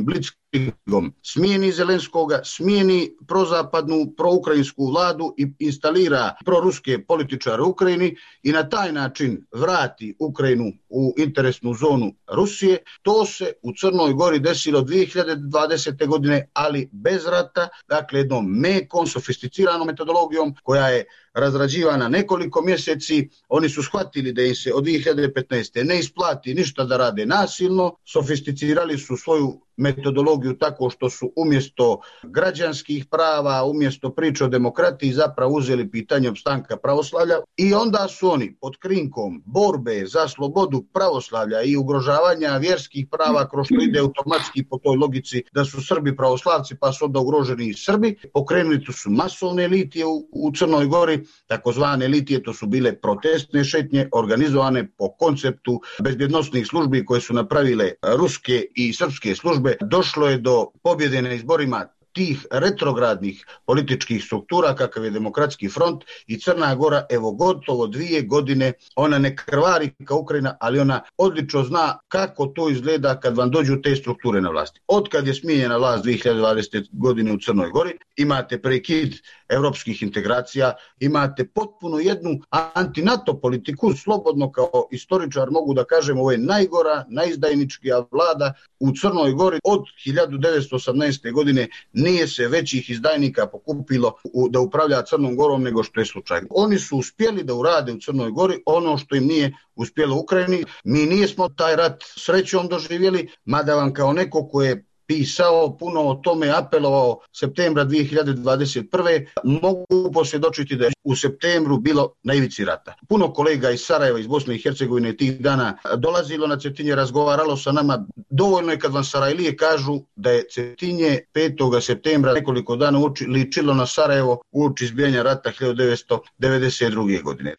blitzkriegom smijeni Zelenskoga, smijeni prozapadnu, proukrajinsku vladu i instalira proruske političare u Ukrajini i na taj način vrati Ukrajinu u interesnu zonu Rusije. To se u Crnoj Gori desilo 2020. godine, ali bez rata, dakle jednom mekom, sofisticiranom metodologijom koja je razrađivana nekoliko mjeseci. Oni su shvatili da im se od 2015. ne isplati ništa da rade nasilno, sofisticirali su svoju metodologiju tako što su umjesto građanskih prava, umjesto priče o demokratiji zapravo uzeli pitanje opstanka pravoslavlja i onda su oni pod krinkom borbe za slobodu pravoslavlja i ugrožavanja vjerskih prava kroz što ide automatski po toj logici da su Srbi pravoslavci pa su onda ugroženi i Srbi, pokrenuli su masovne litije u Crnoj Gori takozvane litije, to su bile protestne šetnje organizovane po konceptu bezbjednosnih službi koje su napravile ruske i srpske službe. Došlo je do pobjede na izborima tih retrogradnih političkih struktura kakav je Demokratski front i Crna Gora, evo gotovo 2 godine, ona ne krvari kao Ukrajina, ali ona odlično zna kako to izgleda kad vam dođu te strukture na vlasti. Od kad je smijenjena vlast 2020. godine u Crnoj Gori, imate prekid evropskih integracija, imate potpuno jednu anti-NATO politiku, slobodno kao istoričar mogu da kažem, ovo je najgora, najizdajničkija vlada u Crnoj Gori od 1918. godine. Nije se većih izdajnika pokupilo da upravlja Crnom Gorom nego što je slučaj. Oni su uspjeli da urade u Crnoj Gori ono što im nije uspjelo u Ukrajini. Mi nismo taj rat srećom doživjeli, mada vam kao neko ko je pisao puno o tome, apelovao septembra 2021. mogu posvjedočiti da je u septembru bilo na ivici rata. Puno kolega iz Sarajeva, iz Bosne i Hercegovine tih dana dolazilo na Cetinje, razgovaralo sa nama. Dovoljno je kad vam Sarajlije kažu da je Cetinje 5. septembra nekoliko dana ličilo na Sarajevo uoči izbijanja rata 1992. godine.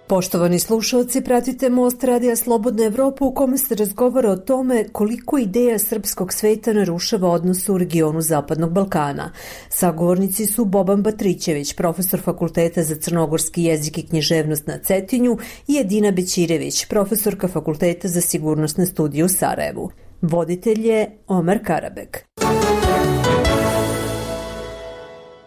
Poštovani slušalci, pratite Most Radija Slobodna Evropa u kome se razgovara o tome koliko ideja srpskog sveta narušava odnose u regionu Zapadnog Balkana. Sagovornici su Boban Batrićević, profesor Fakulteta za crnogorski jezik i književnost na Cetinju, i Edina Bećirević, profesorka Fakulteta za sigurnosne studije u Sarajevu. Voditelj je Omer Karabek.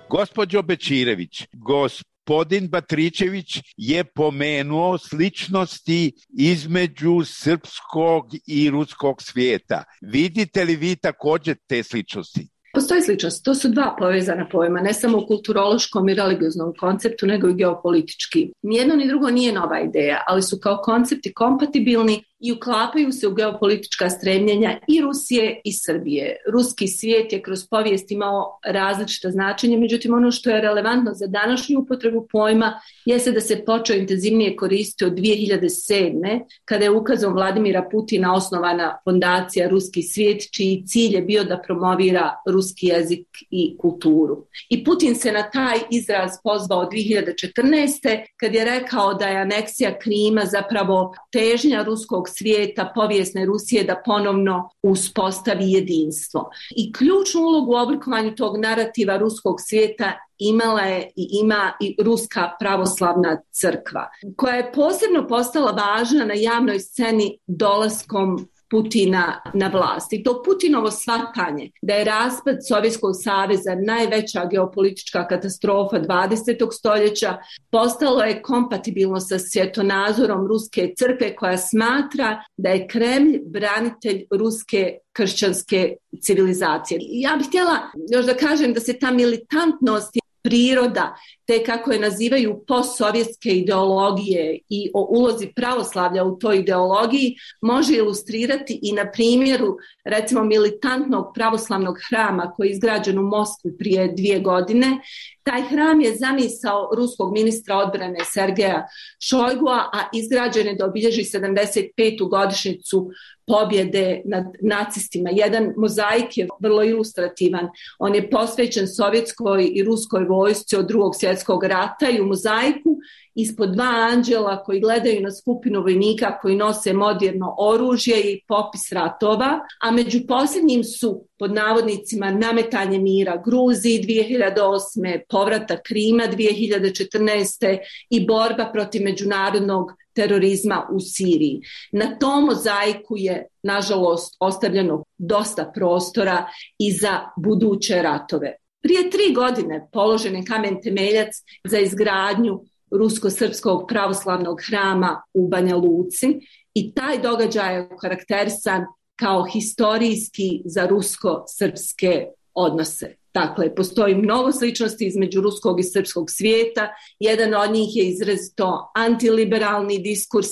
Gospođo Bećirević, gospodin Batrićević je pomenuo sličnosti između srpskog i ruskog svijeta. Vidite li vi također te sličnosti? Postoji sličnost. To su dva povezana pojma, ne samo u kulturološkom i religioznom konceptu, nego i geopolitički. Nijedno ni drugo nije nova ideja, ali su kao koncepti kompatibilni i uklapaju se u geopolitička stremljenja i Rusije i Srbije. Ruski svijet je kroz povijest imao različita značenja, međutim ono što je relevantno za današnju upotrebu pojma jeste da se počeo intenzivnije koristiti od 2007. kada je ukazom Vladimira Putina osnovana fondacija Ruski svijet, čiji cilj je bio da promovira ruski jezik i kulturu. I Putin se na taj izraz pozvao 2014. kad je rekao da je aneksija Krima zapravo težnja ruskog svijeta, povijesne Rusije, da ponovno uspostavi jedinstvo. I ključnu ulogu u oblikovanju tog narativa ruskog svijeta imala je i ima i Ruska pravoslavna crkva, koja je posebno postala važna na javnoj sceni dolaskom Putina na vlast. I to Putinovo shvatanje da je raspad Sovjetskog saveza najveća geopolitička katastrofa 20. stoljeća postalo je kompatibilno sa svjetonazorom Ruske crkve, koja smatra da je Kremlj branitelj ruske kršćanske civilizacije. Ja bih htjela još da kažem da se ta militantnost priroda, te kako je nazivaju postsovjetske ideologije i o ulozi pravoslavlja u toj ideologiji, može ilustrirati i na primjeru recimo militantnog pravoslavnog hrama koji je izgrađen u Moskvi prije 2 godine. Taj hram je zamisao ruskog ministra odbrane Sergeja Šojgua, a izgrađen je da obilježi 75. godišnjicu pobjede nad nacistima. Jedan mozaik je vrlo ilustrativan. On je posvećen sovjetskoj i ruskoj vojsci od Drugog svjetskog rata i u mozaiku ispod 2 anđela koji gledaju na skupinu vojnika koji nose moderno oružje i popis ratova, a među posljednjim su pod navodnicima nametanje mira Gruziji 2008. povratak Krima 2014. i borba protiv međunarodnog terorizma u Siriji. Na tom mozaiku je, nažalost, ostavljeno dosta prostora i za buduće ratove. Prije 3 godine položen je kamen temeljac za izgradnju rusko-srpskog pravoslavnog hrama u Banja Luci i taj događaj je karakterisan kao historijski za rusko-srpske odnose. Dakle, postoji mnogo sličnosti između ruskog i srpskog svijeta. Jedan od njih je izrazito antiliberalni diskurs,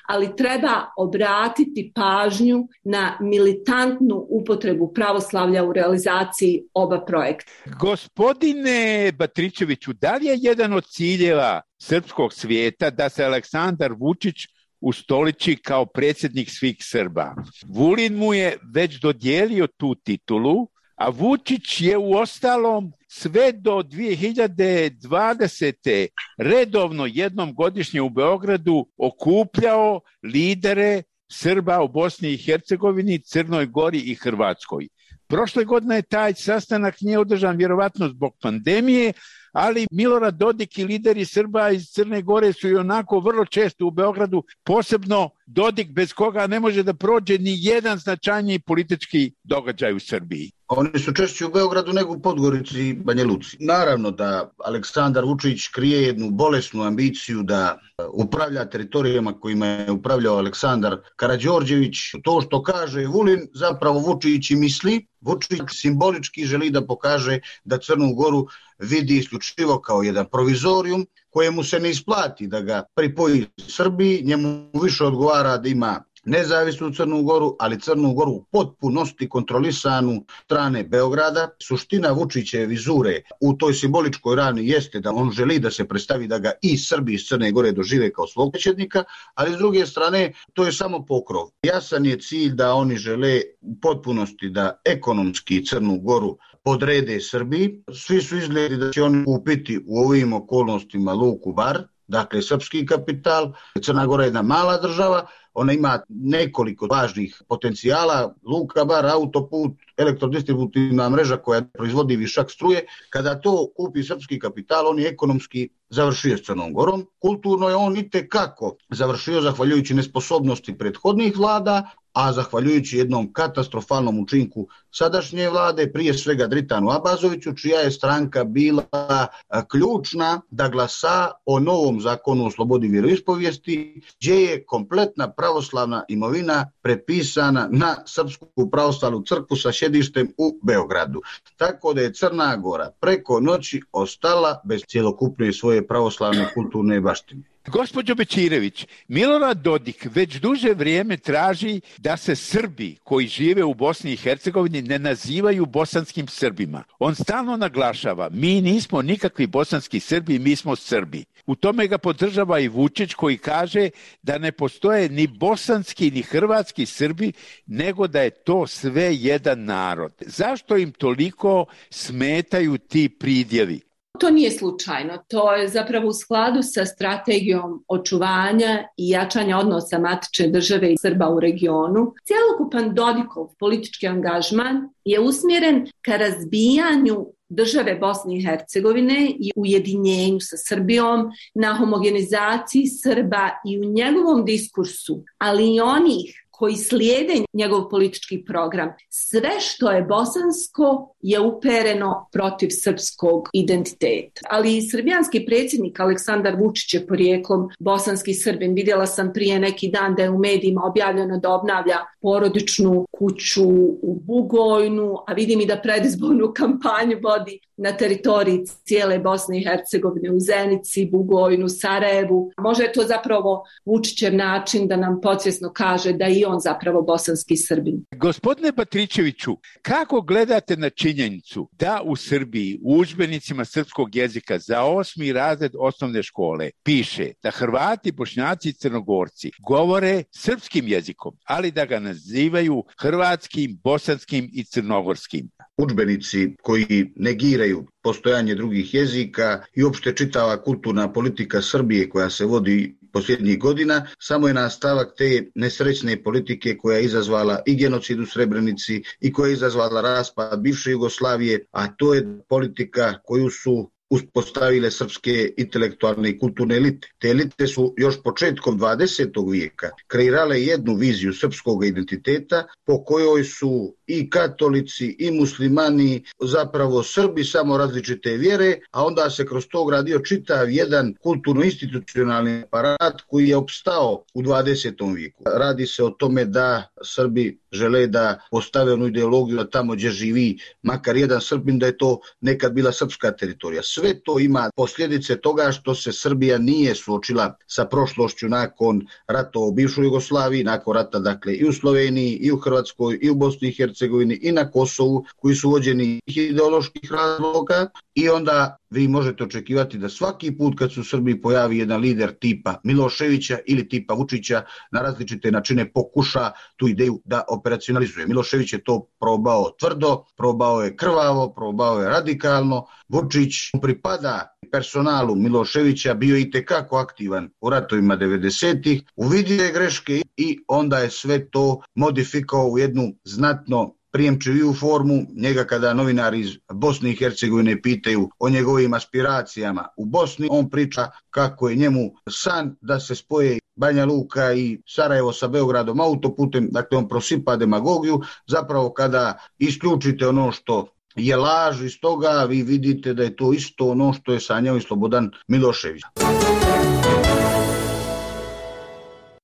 ali treba obratiti pažnju na militantnu upotrebu pravoslavlja u realizaciji oba projekta. Gospodine Batrićeviću, da li je jedan od ciljeva srpskog svijeta da se Aleksandar Vučić ustoliči kao predsjednik svih Srba? Vulin mu je već dodijelio tu titulu, A Vučić je u ostalom sve do 2020. redovno jednom godišnje u Beogradu okupljao lidere Srba u Bosni i Hercegovini, Crnoj Gori i Hrvatskoj. Prošle godine taj sastanak nije održan vjerovatno zbog pandemije, ali Milorad Dodik i lideri Srba iz Crne Gore su i onako vrlo često u Beogradu, posebno Dodik bez koga ne može da prođe ni jedan značajniji politički događaj u Srbiji. Oni su češće u Beogradu nego u Podgorici i Banja Luci. Naravno da Aleksandar Vučić krije jednu bolesnu ambiciju da upravlja teritorijama kojima je upravljao Aleksandar Karađorđević. To što kaže Vulin zapravo Vučić i misli. Vučić simbolički želi da pokaže da Crnu Goru vidi isključivo kao jedan provizorijum kojemu se ne isplati da ga pripoji Srbiji, njemu više odgovara da ima nezavisnu Crnu Goru, ali Crnu Goru u potpunosti kontrolisanu strane Beograda. Suština Vučićeve vizure u toj simboličkoj rani jeste da on želi da se predstavi da ga i Srbi iz Crne Gore dožive kao svog predsjednika, ali s druge strane to je samo pokrov. Jasan je cilj da oni žele u potpunosti da ekonomski Crnu Goru podrede Srbiji. Svi su izgledi da će oni kupiti u ovim okolnostima Luku Bar, dakle srpski kapital. Crna Gora je jedna mala država, ona ima nekoliko važnih potencijala, Luka Bar, autoput, elektrodistributivna mreža koja proizvodi višak struje. Kada to kupi srpski kapital, on je ekonomski završio s Crnom Gorom. Kulturno je on itekako završio zahvaljujući nesposobnosti prethodnih vlada, a zahvaljujući jednom katastrofalnom učinku sadašnje vlade, prije svega Dritanu Abazoviću, čija je stranka bila ključna da glasa o novom zakonu o slobodi vjeroispovijesti, gdje je kompletna pravoslavna imovina prepisana na Srpsku pravoslavnu crkvu sa sjedištem u Beogradu. Tako da je Crna Gora preko noći ostala bez cjelokupne svoje pravoslavne kulturne baštine. Gospođo Bećirević, Milorad Dodik već duže vrijeme traži da se Srbi koji žive u Bosni i Hercegovini ne nazivaju bosanskim Srbima. On stalno naglašava, mi nismo nikakvi bosanski Srbi, mi smo Srbi. U tome ga podržava i Vučić koji kaže da ne postoje ni bosanski ni hrvatski Srbi, nego da je to sve jedan narod. Zašto im toliko smetaju ti pridjevi? To nije slučajno, to je zapravo u skladu sa strategijom očuvanja i jačanja odnosa matične države i Srba u regionu. Cjelokupan Dodikov politički angažman je usmjeren ka razbijanju države Bosne i Hercegovine i ujedinjenju sa Srbijom, na homogenizaciji Srba i u njegovom diskursu, ali i onih koji slijede njegov politički program. Sve što je bosansko je upereno protiv srpskog identiteta. Ali i srbijanski predsjednik Aleksandar Vučić je porijeklom bosanski Srbin. Vidjela sam prije neki dan da je u medijima objavljeno da obnavlja porodičnu kuću u Bugojnu, a vidim i da predizbornu kampanju vodi na teritoriji cijele Bosne i Hercegovine, u Zenici, Bugojnu, Sarajevu. Možda je to zapravo Vučićev način da nam podsvjesno kaže da i on zapravo bosanski Srbin. Gospodine Patričeviću, kako gledate na činjenicu da u Srbiji u udžbenicima srpskog jezika za 8. razred osnovne škole piše da Hrvati, Bošnjaci i Crnogorci govore srpskim jezikom, ali da ga nazivaju hrvatskim, bosanskim i crnogorskim? Udžbenici koji negiraju postojanje drugih jezika i uopšte čitava kulturna politika Srbije koja se vodi posljednjih godina, samo je nastavak te nesrećne politike koja je izazvala i genocid u Srebrenici i koja je izazvala raspad bivše Jugoslavije, a to je politika koju su uspostavile srpske intelektualne i kulturne elite. Te elite su još početkom 20. vijeka kreirale jednu viziju srpskog identiteta po kojoj su i katolici i muslimani zapravo Srbi, samo različite vjere, a onda se kroz to gradio čitav jedan kulturno-institucionalni aparat koji je opstao u 20. vijeku. Radi se o tome da Srbi žele da postave onu ideologiju da tamo gdje živi makar jedan Srbin, da je to nekad bila srpska teritorija. Sve to ima posljedice toga što se Srbija nije suočila sa prošlošću nakon rata u bivšoj Jugoslaviji, nakon rata dakle i u Sloveniji, i u Hrvatskoj, i u Bosni i Hercegovini, Hercegovini i na Kosovu, koji su vođeni ideoloških razloga, i onda vi možete očekivati da svaki put kad se u Srbiji pojavi jedan lider tipa Miloševića ili tipa Vučića, na različite načine pokuša tu ideju da operacionalizuje. Milošević je to probao tvrdo, probao je krvavo, probao je radikalno. Vučić pripada personalu Miloševića, bio i tekako aktivan u ratovima 90-ih, uvidio je greške i onda je sve to modifikao u jednu znatno prijemčiviju formu. Njega kada novinari iz Bosne i Hercegovine pitaju o njegovim aspiracijama u Bosni, on priča kako je njemu san da se spoje Banja Luka i Sarajevo sa Beogradom autoputem, dakle on prosipa demagogiju. Zapravo kada isključite ono što je laž iz toga, vi vidite da je to isto ono što je sanjao i Slobodan Milošević.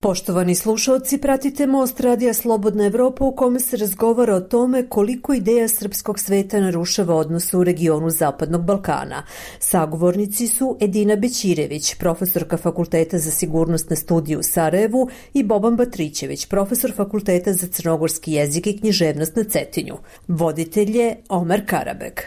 Poštovani slušalci, pratite Most Radija Slobodna Evropa u kome se razgovara o tome koliko ideja srpskog sveta narušava odnose u regionu Zapadnog Balkana. Sagovornici su Edina Bećirević, profesorka Fakulteta za sigurnosne studije u Sarajevu, i Boban Batrićević, profesor Fakulteta za crnogorski jezik i književnost na Cetinju. Voditelj je Omer Karabeg.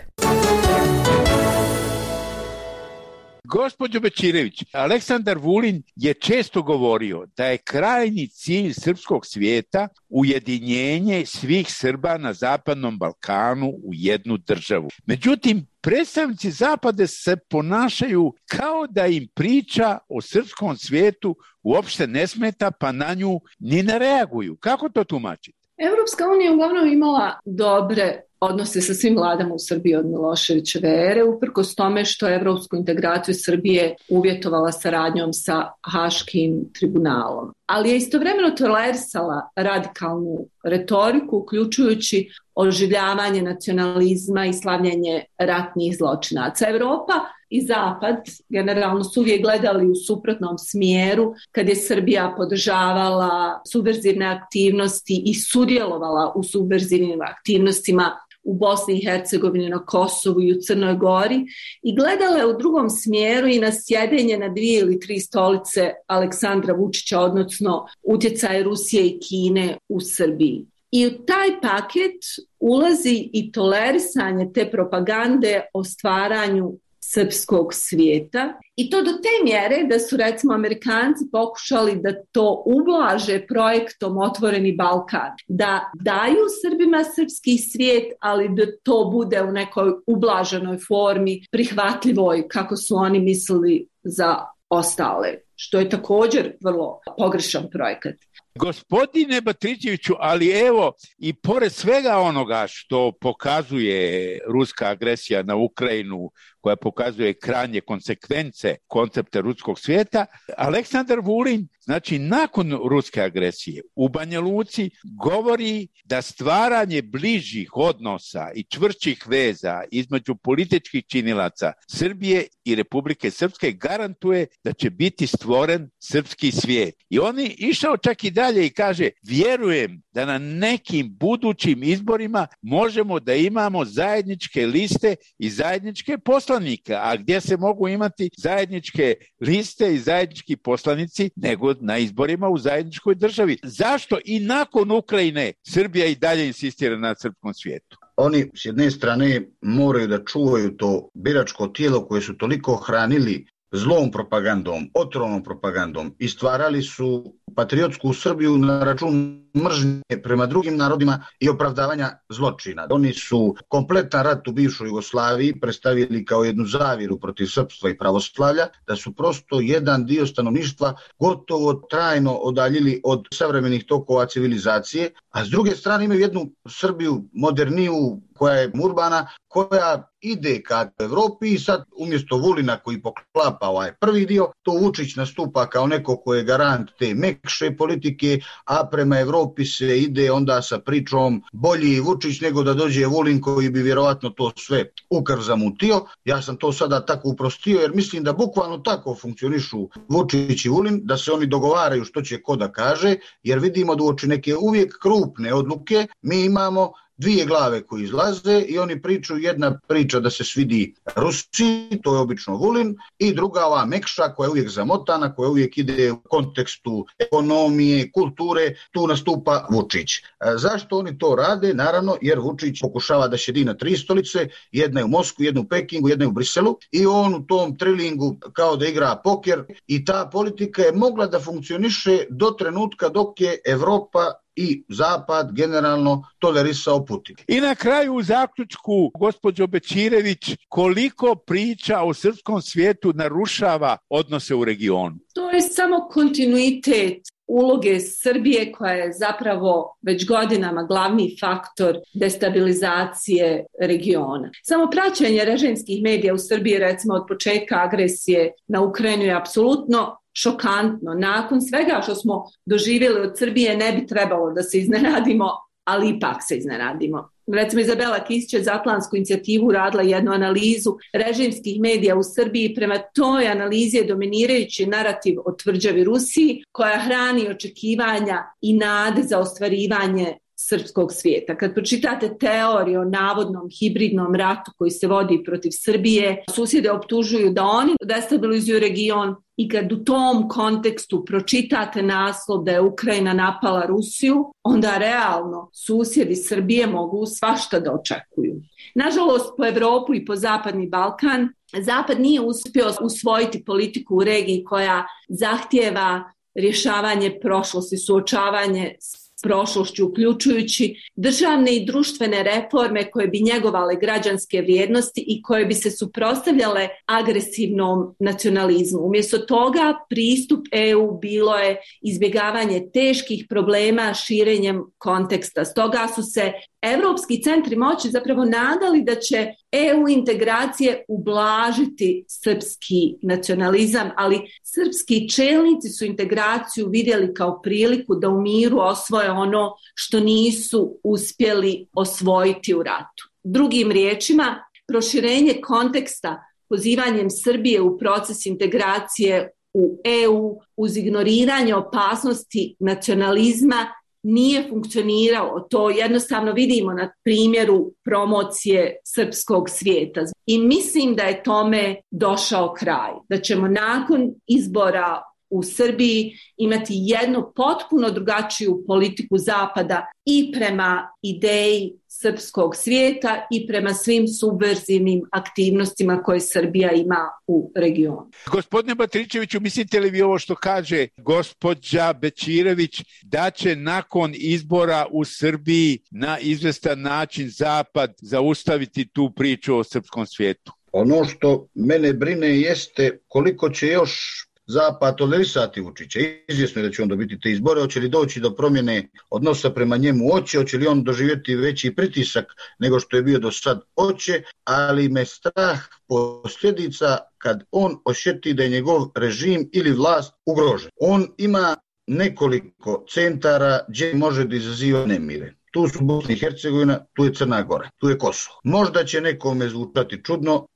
Gospođo Bećirević, Aleksandar Vulin je često govorio da je krajnji cilj srpskog svijeta ujedinjenje svih Srba na Zapadnom Balkanu u jednu državu. Međutim, predstavnici Zapada se ponašaju kao da im priča o srpskom svijetu uopšte ne smeta, pa na nju ni ne reaguju. Kako to tumačite? Europska unija uglavnom imala dobre odnose sa svim vladama u Srbiji od Miloševićeve ere, uprkos tome što je evropsku integraciju Srbije uvjetovala saradnjom sa Haškim tribunalom. Ali je istovremeno tolerisala radikalnu retoriku, uključujući oživljavanje nacionalizma i slavljenje ratnih zločinaca. Evropa i Zapad generalno su uvijek gledali u suprotnom smjeru kad je Srbija podržavala subverzivne aktivnosti i sudjelovala u subverzivnim aktivnostima u Bosni i Hercegovini, na Kosovu i u Crnoj Gori, i gledala je u drugom smjeru i na sjedenje na 2 ili 3 stolice Aleksandra Vučića, odnosno utjecaj Rusije i Kine u Srbiji. I u taj paket ulazi i tolerisanje te propagande o stvaranju srpskog svijeta, i to do te mjere da su recimo Amerikanci pokušali da to ublaže projektom Otvoreni Balkan, da daju Srbima srpski svijet, ali da to bude u nekoj ublaženoj formi, prihvatljivoj kako su oni mislili za ostale, što je također vrlo pogrešan projekat. Gospodine Batrićeviću, ali evo, i pored svega onoga što pokazuje ruska agresija na Ukrajinu, koja pokazuje krajnje konsekvence koncepta ruskog svijeta, Aleksandar Vulin, znači nakon ruske agresije u Banja Luci, govori da stvaranje bližih odnosa i čvršćih veza između političkih činilaca Srbije i Republike Srpske garantuje da će biti stvoren srpski svijet. I on je išao čak i dalje i kaže, vjerujem da na nekim budućim izborima možemo da imamo zajedničke liste i zajedničke poslanike, a gdje se mogu imati zajedničke liste i zajednički poslanici nego na izborima u zajedničkoj državi. Zašto i nakon Ukrajine Srbija i dalje insistira na srpskom svijetu? Oni s jedne strane moraju da čuvaju to biračko tijelo koje su toliko hranili zlom propagandom, otrovnom propagandom, i stvarali su patriotsku Srbiju na račun mržnje prema drugim narodima i opravdavanja zločina. Oni su kompletan rat u bivšoj Jugoslaviji predstavili kao jednu zavjeru protiv srpstva i pravoslavlja, da su prosto jedan dio stanovništva gotovo trajno odaljili od savremenih tokova civilizacije, a s druge strane imaju jednu Srbiju moderniju, koja je urbana, koja ide ka Evropi, i sad umjesto Vulina koji poklapa ovaj prvi dio, to Vučić nastupa kao neko ko je garant te mekše politike, a prema Evropi se ide onda sa pričom bolji Vučić nego da dođe Vulin koji bi vjerovatno to sve u krv zamutio. Ja sam to sada tako uprostio jer mislim da bukvalno tako funkcionišu Vučić i Vulin, da se oni dogovaraju što će ko da kaže, jer vidimo da uoči neke uvijek krupne odluke mi imamo dvije glave koji izlaze i oni pričaju, jedna priča da se svidi Rusiji, to je obično Vulin, i druga ova mekša koja je uvijek zamotana, koja uvijek ide u kontekstu ekonomije, kulture, tu nastupa Vučić. Zašto oni to rade? Naravno, jer Vučić pokušava da sjedi na 3 stolice, jedna je u Moskvi, jedna u Pekingu, jedna je u Briselu, i on u tom trilingu kao da igra poker, i ta politika je mogla da funkcioniše do trenutka dok je Evropa i Zapad generalno tolerisao Putin. I na kraju u zaključku, gospođo Bećirević, koliko priča o srpskom svijetu narušava odnose u regionu? To je samo kontinuitet uloge Srbije koja je zapravo već godinama glavni faktor destabilizacije regiona. Samo praćenje režimskih medija u Srbiji, recimo od početka agresije na Ukrajinu, je apsolutno šokantno. Nakon svega što smo doživjeli od Srbije ne bi trebalo da se iznenadimo, ali ipak se iznenadimo. Recimo, Izabela Kisić za Atlantsku inicijativu radila jednu analizu režimskih medija u Srbiji. Prema toj analizi je dominirajući narativ o tvrđavi Rusiji, koja hrani očekivanja i nade za ostvarivanje srpskog svijeta. Kad pročitate teoriju o navodnom hibridnom ratu koji se vodi protiv Srbije, susjede optužuju da oni destabilizuju region, i kad u tom kontekstu pročitate naslov da je Ukrajina napala Rusiju, onda realno susjedi Srbije mogu svašta da očekuju. Nažalost, po Evropu i po Zapadni Balkan, Zapad nije uspio usvojiti politiku u regiji koja zahtijeva rješavanje prošlosti, suočavanje s prošlošću, uključujući državne i društvene reforme koje bi njegovale građanske vrijednosti i koje bi se suprotstavljale agresivnom nacionalizmu. Umjesto toga, pristup EU bilo je izbjegavanje teških problema širenjem konteksta. Stoga su se evropski centri moći zapravo nadali da će EU integracije ublažiti srpski nacionalizam, ali srpski čelnici su integraciju vidjeli kao priliku da u miru osvoje ono što nisu uspjeli osvojiti u ratu. Drugim riječima, proširenje konteksta pozivanjem Srbije u proces integracije u EU uz ignoriranje opasnosti nacionalizma nije funkcioniralo. To jednostavno vidimo na primjeru promocije srpskog svijeta. I mislim da je tome došao kraj. Da ćemo nakon izbora u Srbiji imati jednu potpuno drugačiju politiku Zapada i prema ideji srpskog svijeta i prema svim subverzivnim aktivnostima koje Srbija ima u regionu. Gospodine Batričeviću, mislite li vi ovo što kaže gospođa Bećirević, da će nakon izbora u Srbiji na izvestan način Zapad zaustaviti tu priču o srpskom svijetu? Ono što mene brine jeste koliko će još Zapad tolerisati Vučića. Izvjesno je da će on dobiti te izbore, hoće li doći do promjene odnosa prema njemu, hoće li on doživjeti veći pritisak nego što je bio do sad, hoće, ali me strah posljedica kad on osjeti da je njegov režim ili vlast ugrožen. On ima nekoliko centara gdje može da izaziva nemire. Tu su Bosna i Hercegovina, tu je Crna Gora, tu je Kosovo. Možda će nekome zvučati čudno,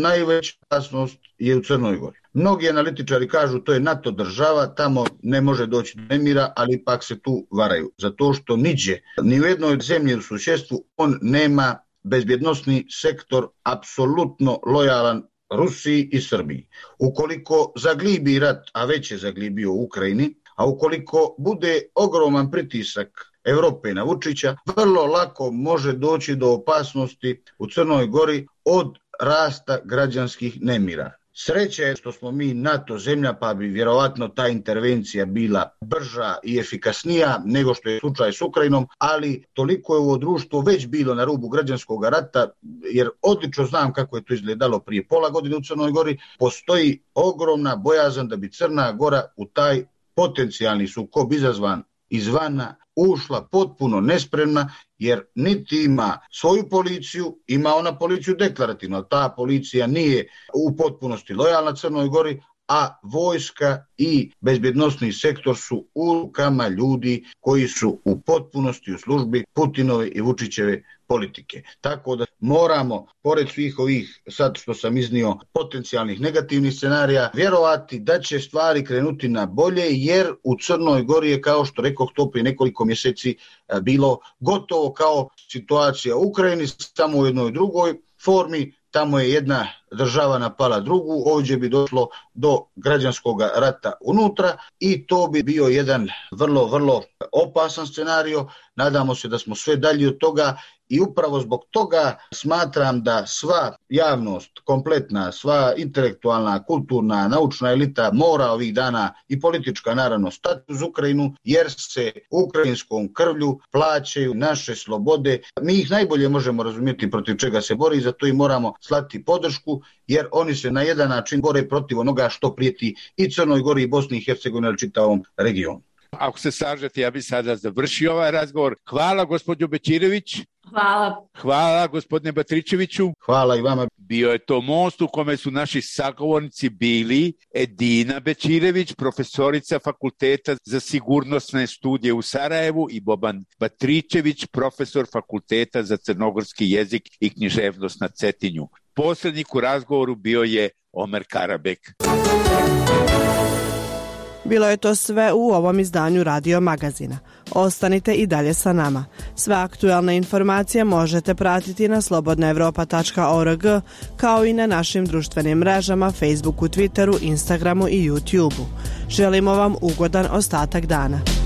najveća opasnost je u Crnoj Gori. Mnogi analitičari kažu to je NATO država, tamo ne može doći do nemira, ali ipak se tu varaju. Zato što niđe, ni u jednoj zemlji u susjedstvu on nema bezbjednosni sektor apsolutno lojalan Rusiji i Srbiji. Ukoliko zaglibi rat, a već je zaglibio u Ukrajini, a ukoliko bude ogroman pritisak Evrope na Vučića, vrlo lako može doći do opasnosti u Crnoj Gori od rasta građanskih nemira. Sreća je što smo mi NATO zemlja, pa bi vjerovatno ta intervencija bila brža i efikasnija nego što je slučaj s Ukrajinom, ali toliko je ovo društvo već bilo na rubu građanskog rata, jer odlično znam kako je to izgledalo prije pola godine u Crnoj Gori. Postoji ogromna bojazan da bi Crna Gora u taj potencijalni sukob izazvan izvana ušla potpuno nespremna, jer niti ima svoju policiju, ima ona policiju deklarativno, ta policija nije u potpunosti lojalna Crnoj Gori, a vojska i bezbjednosni sektor su u rukama ljudi koji su u potpunosti u službi Putinove i Vučićeve politike. Tako da moramo, pored svih ovih sad što sam iznio potencijalnih negativnih scenarija, vjerovati da će stvari krenuti na bolje, jer u Crnoj Gori je, kao što rekoh, to prije nekoliko mjeseci bilo gotovo kao situacija u Ukrajini, samo u jednoj drugoj formi. Tamo je jedna država napala drugu, ovdje bi došlo do građanskog rata unutra i to bi bio jedan vrlo opasan scenario. Nadamo se da smo sve dalje od toga i upravo zbog toga smatram da sva javnost, kompletna, sva intelektualna, kulturna, naučna elita mora ovih dana i politička naravno stati uz Ukrajinu, jer se ukrajinskom krvlju plaćaju naše slobode. Mi ih najbolje možemo razumjeti protiv čega se bori, zato i moramo slati podršku, jer oni se na jedan način bore protiv onoga što prijeti i Crnoj Gori i Bosni i Hercegovini, ali čitavom regionu. Ako se slažete, ja bih sada završio ovaj razgovor. Hvala gospođo Bećirević. Hvala. Hvala gospodine Batričeviću. Hvala i vama. Bio je to most u kome su naši sagovornici bili Edina Bećirević, profesorica Fakulteta za sigurnosne studije u Sarajevu, i Boban Batričević, profesor Fakulteta za crnogorski jezik i književnost na Cetinju. Posrednik u razgovoru bio je Omer Karabek. Bilo je to sve u ovom izdanju Radio Magazina. Ostanite i dalje sa nama. Sve aktualne informacije možete pratiti na slobodnaevropa.org, kao i na našim društvenim mrežama Facebooku, Twitteru, Instagramu i YouTubeu. Želimo vam ugodan ostatak dana.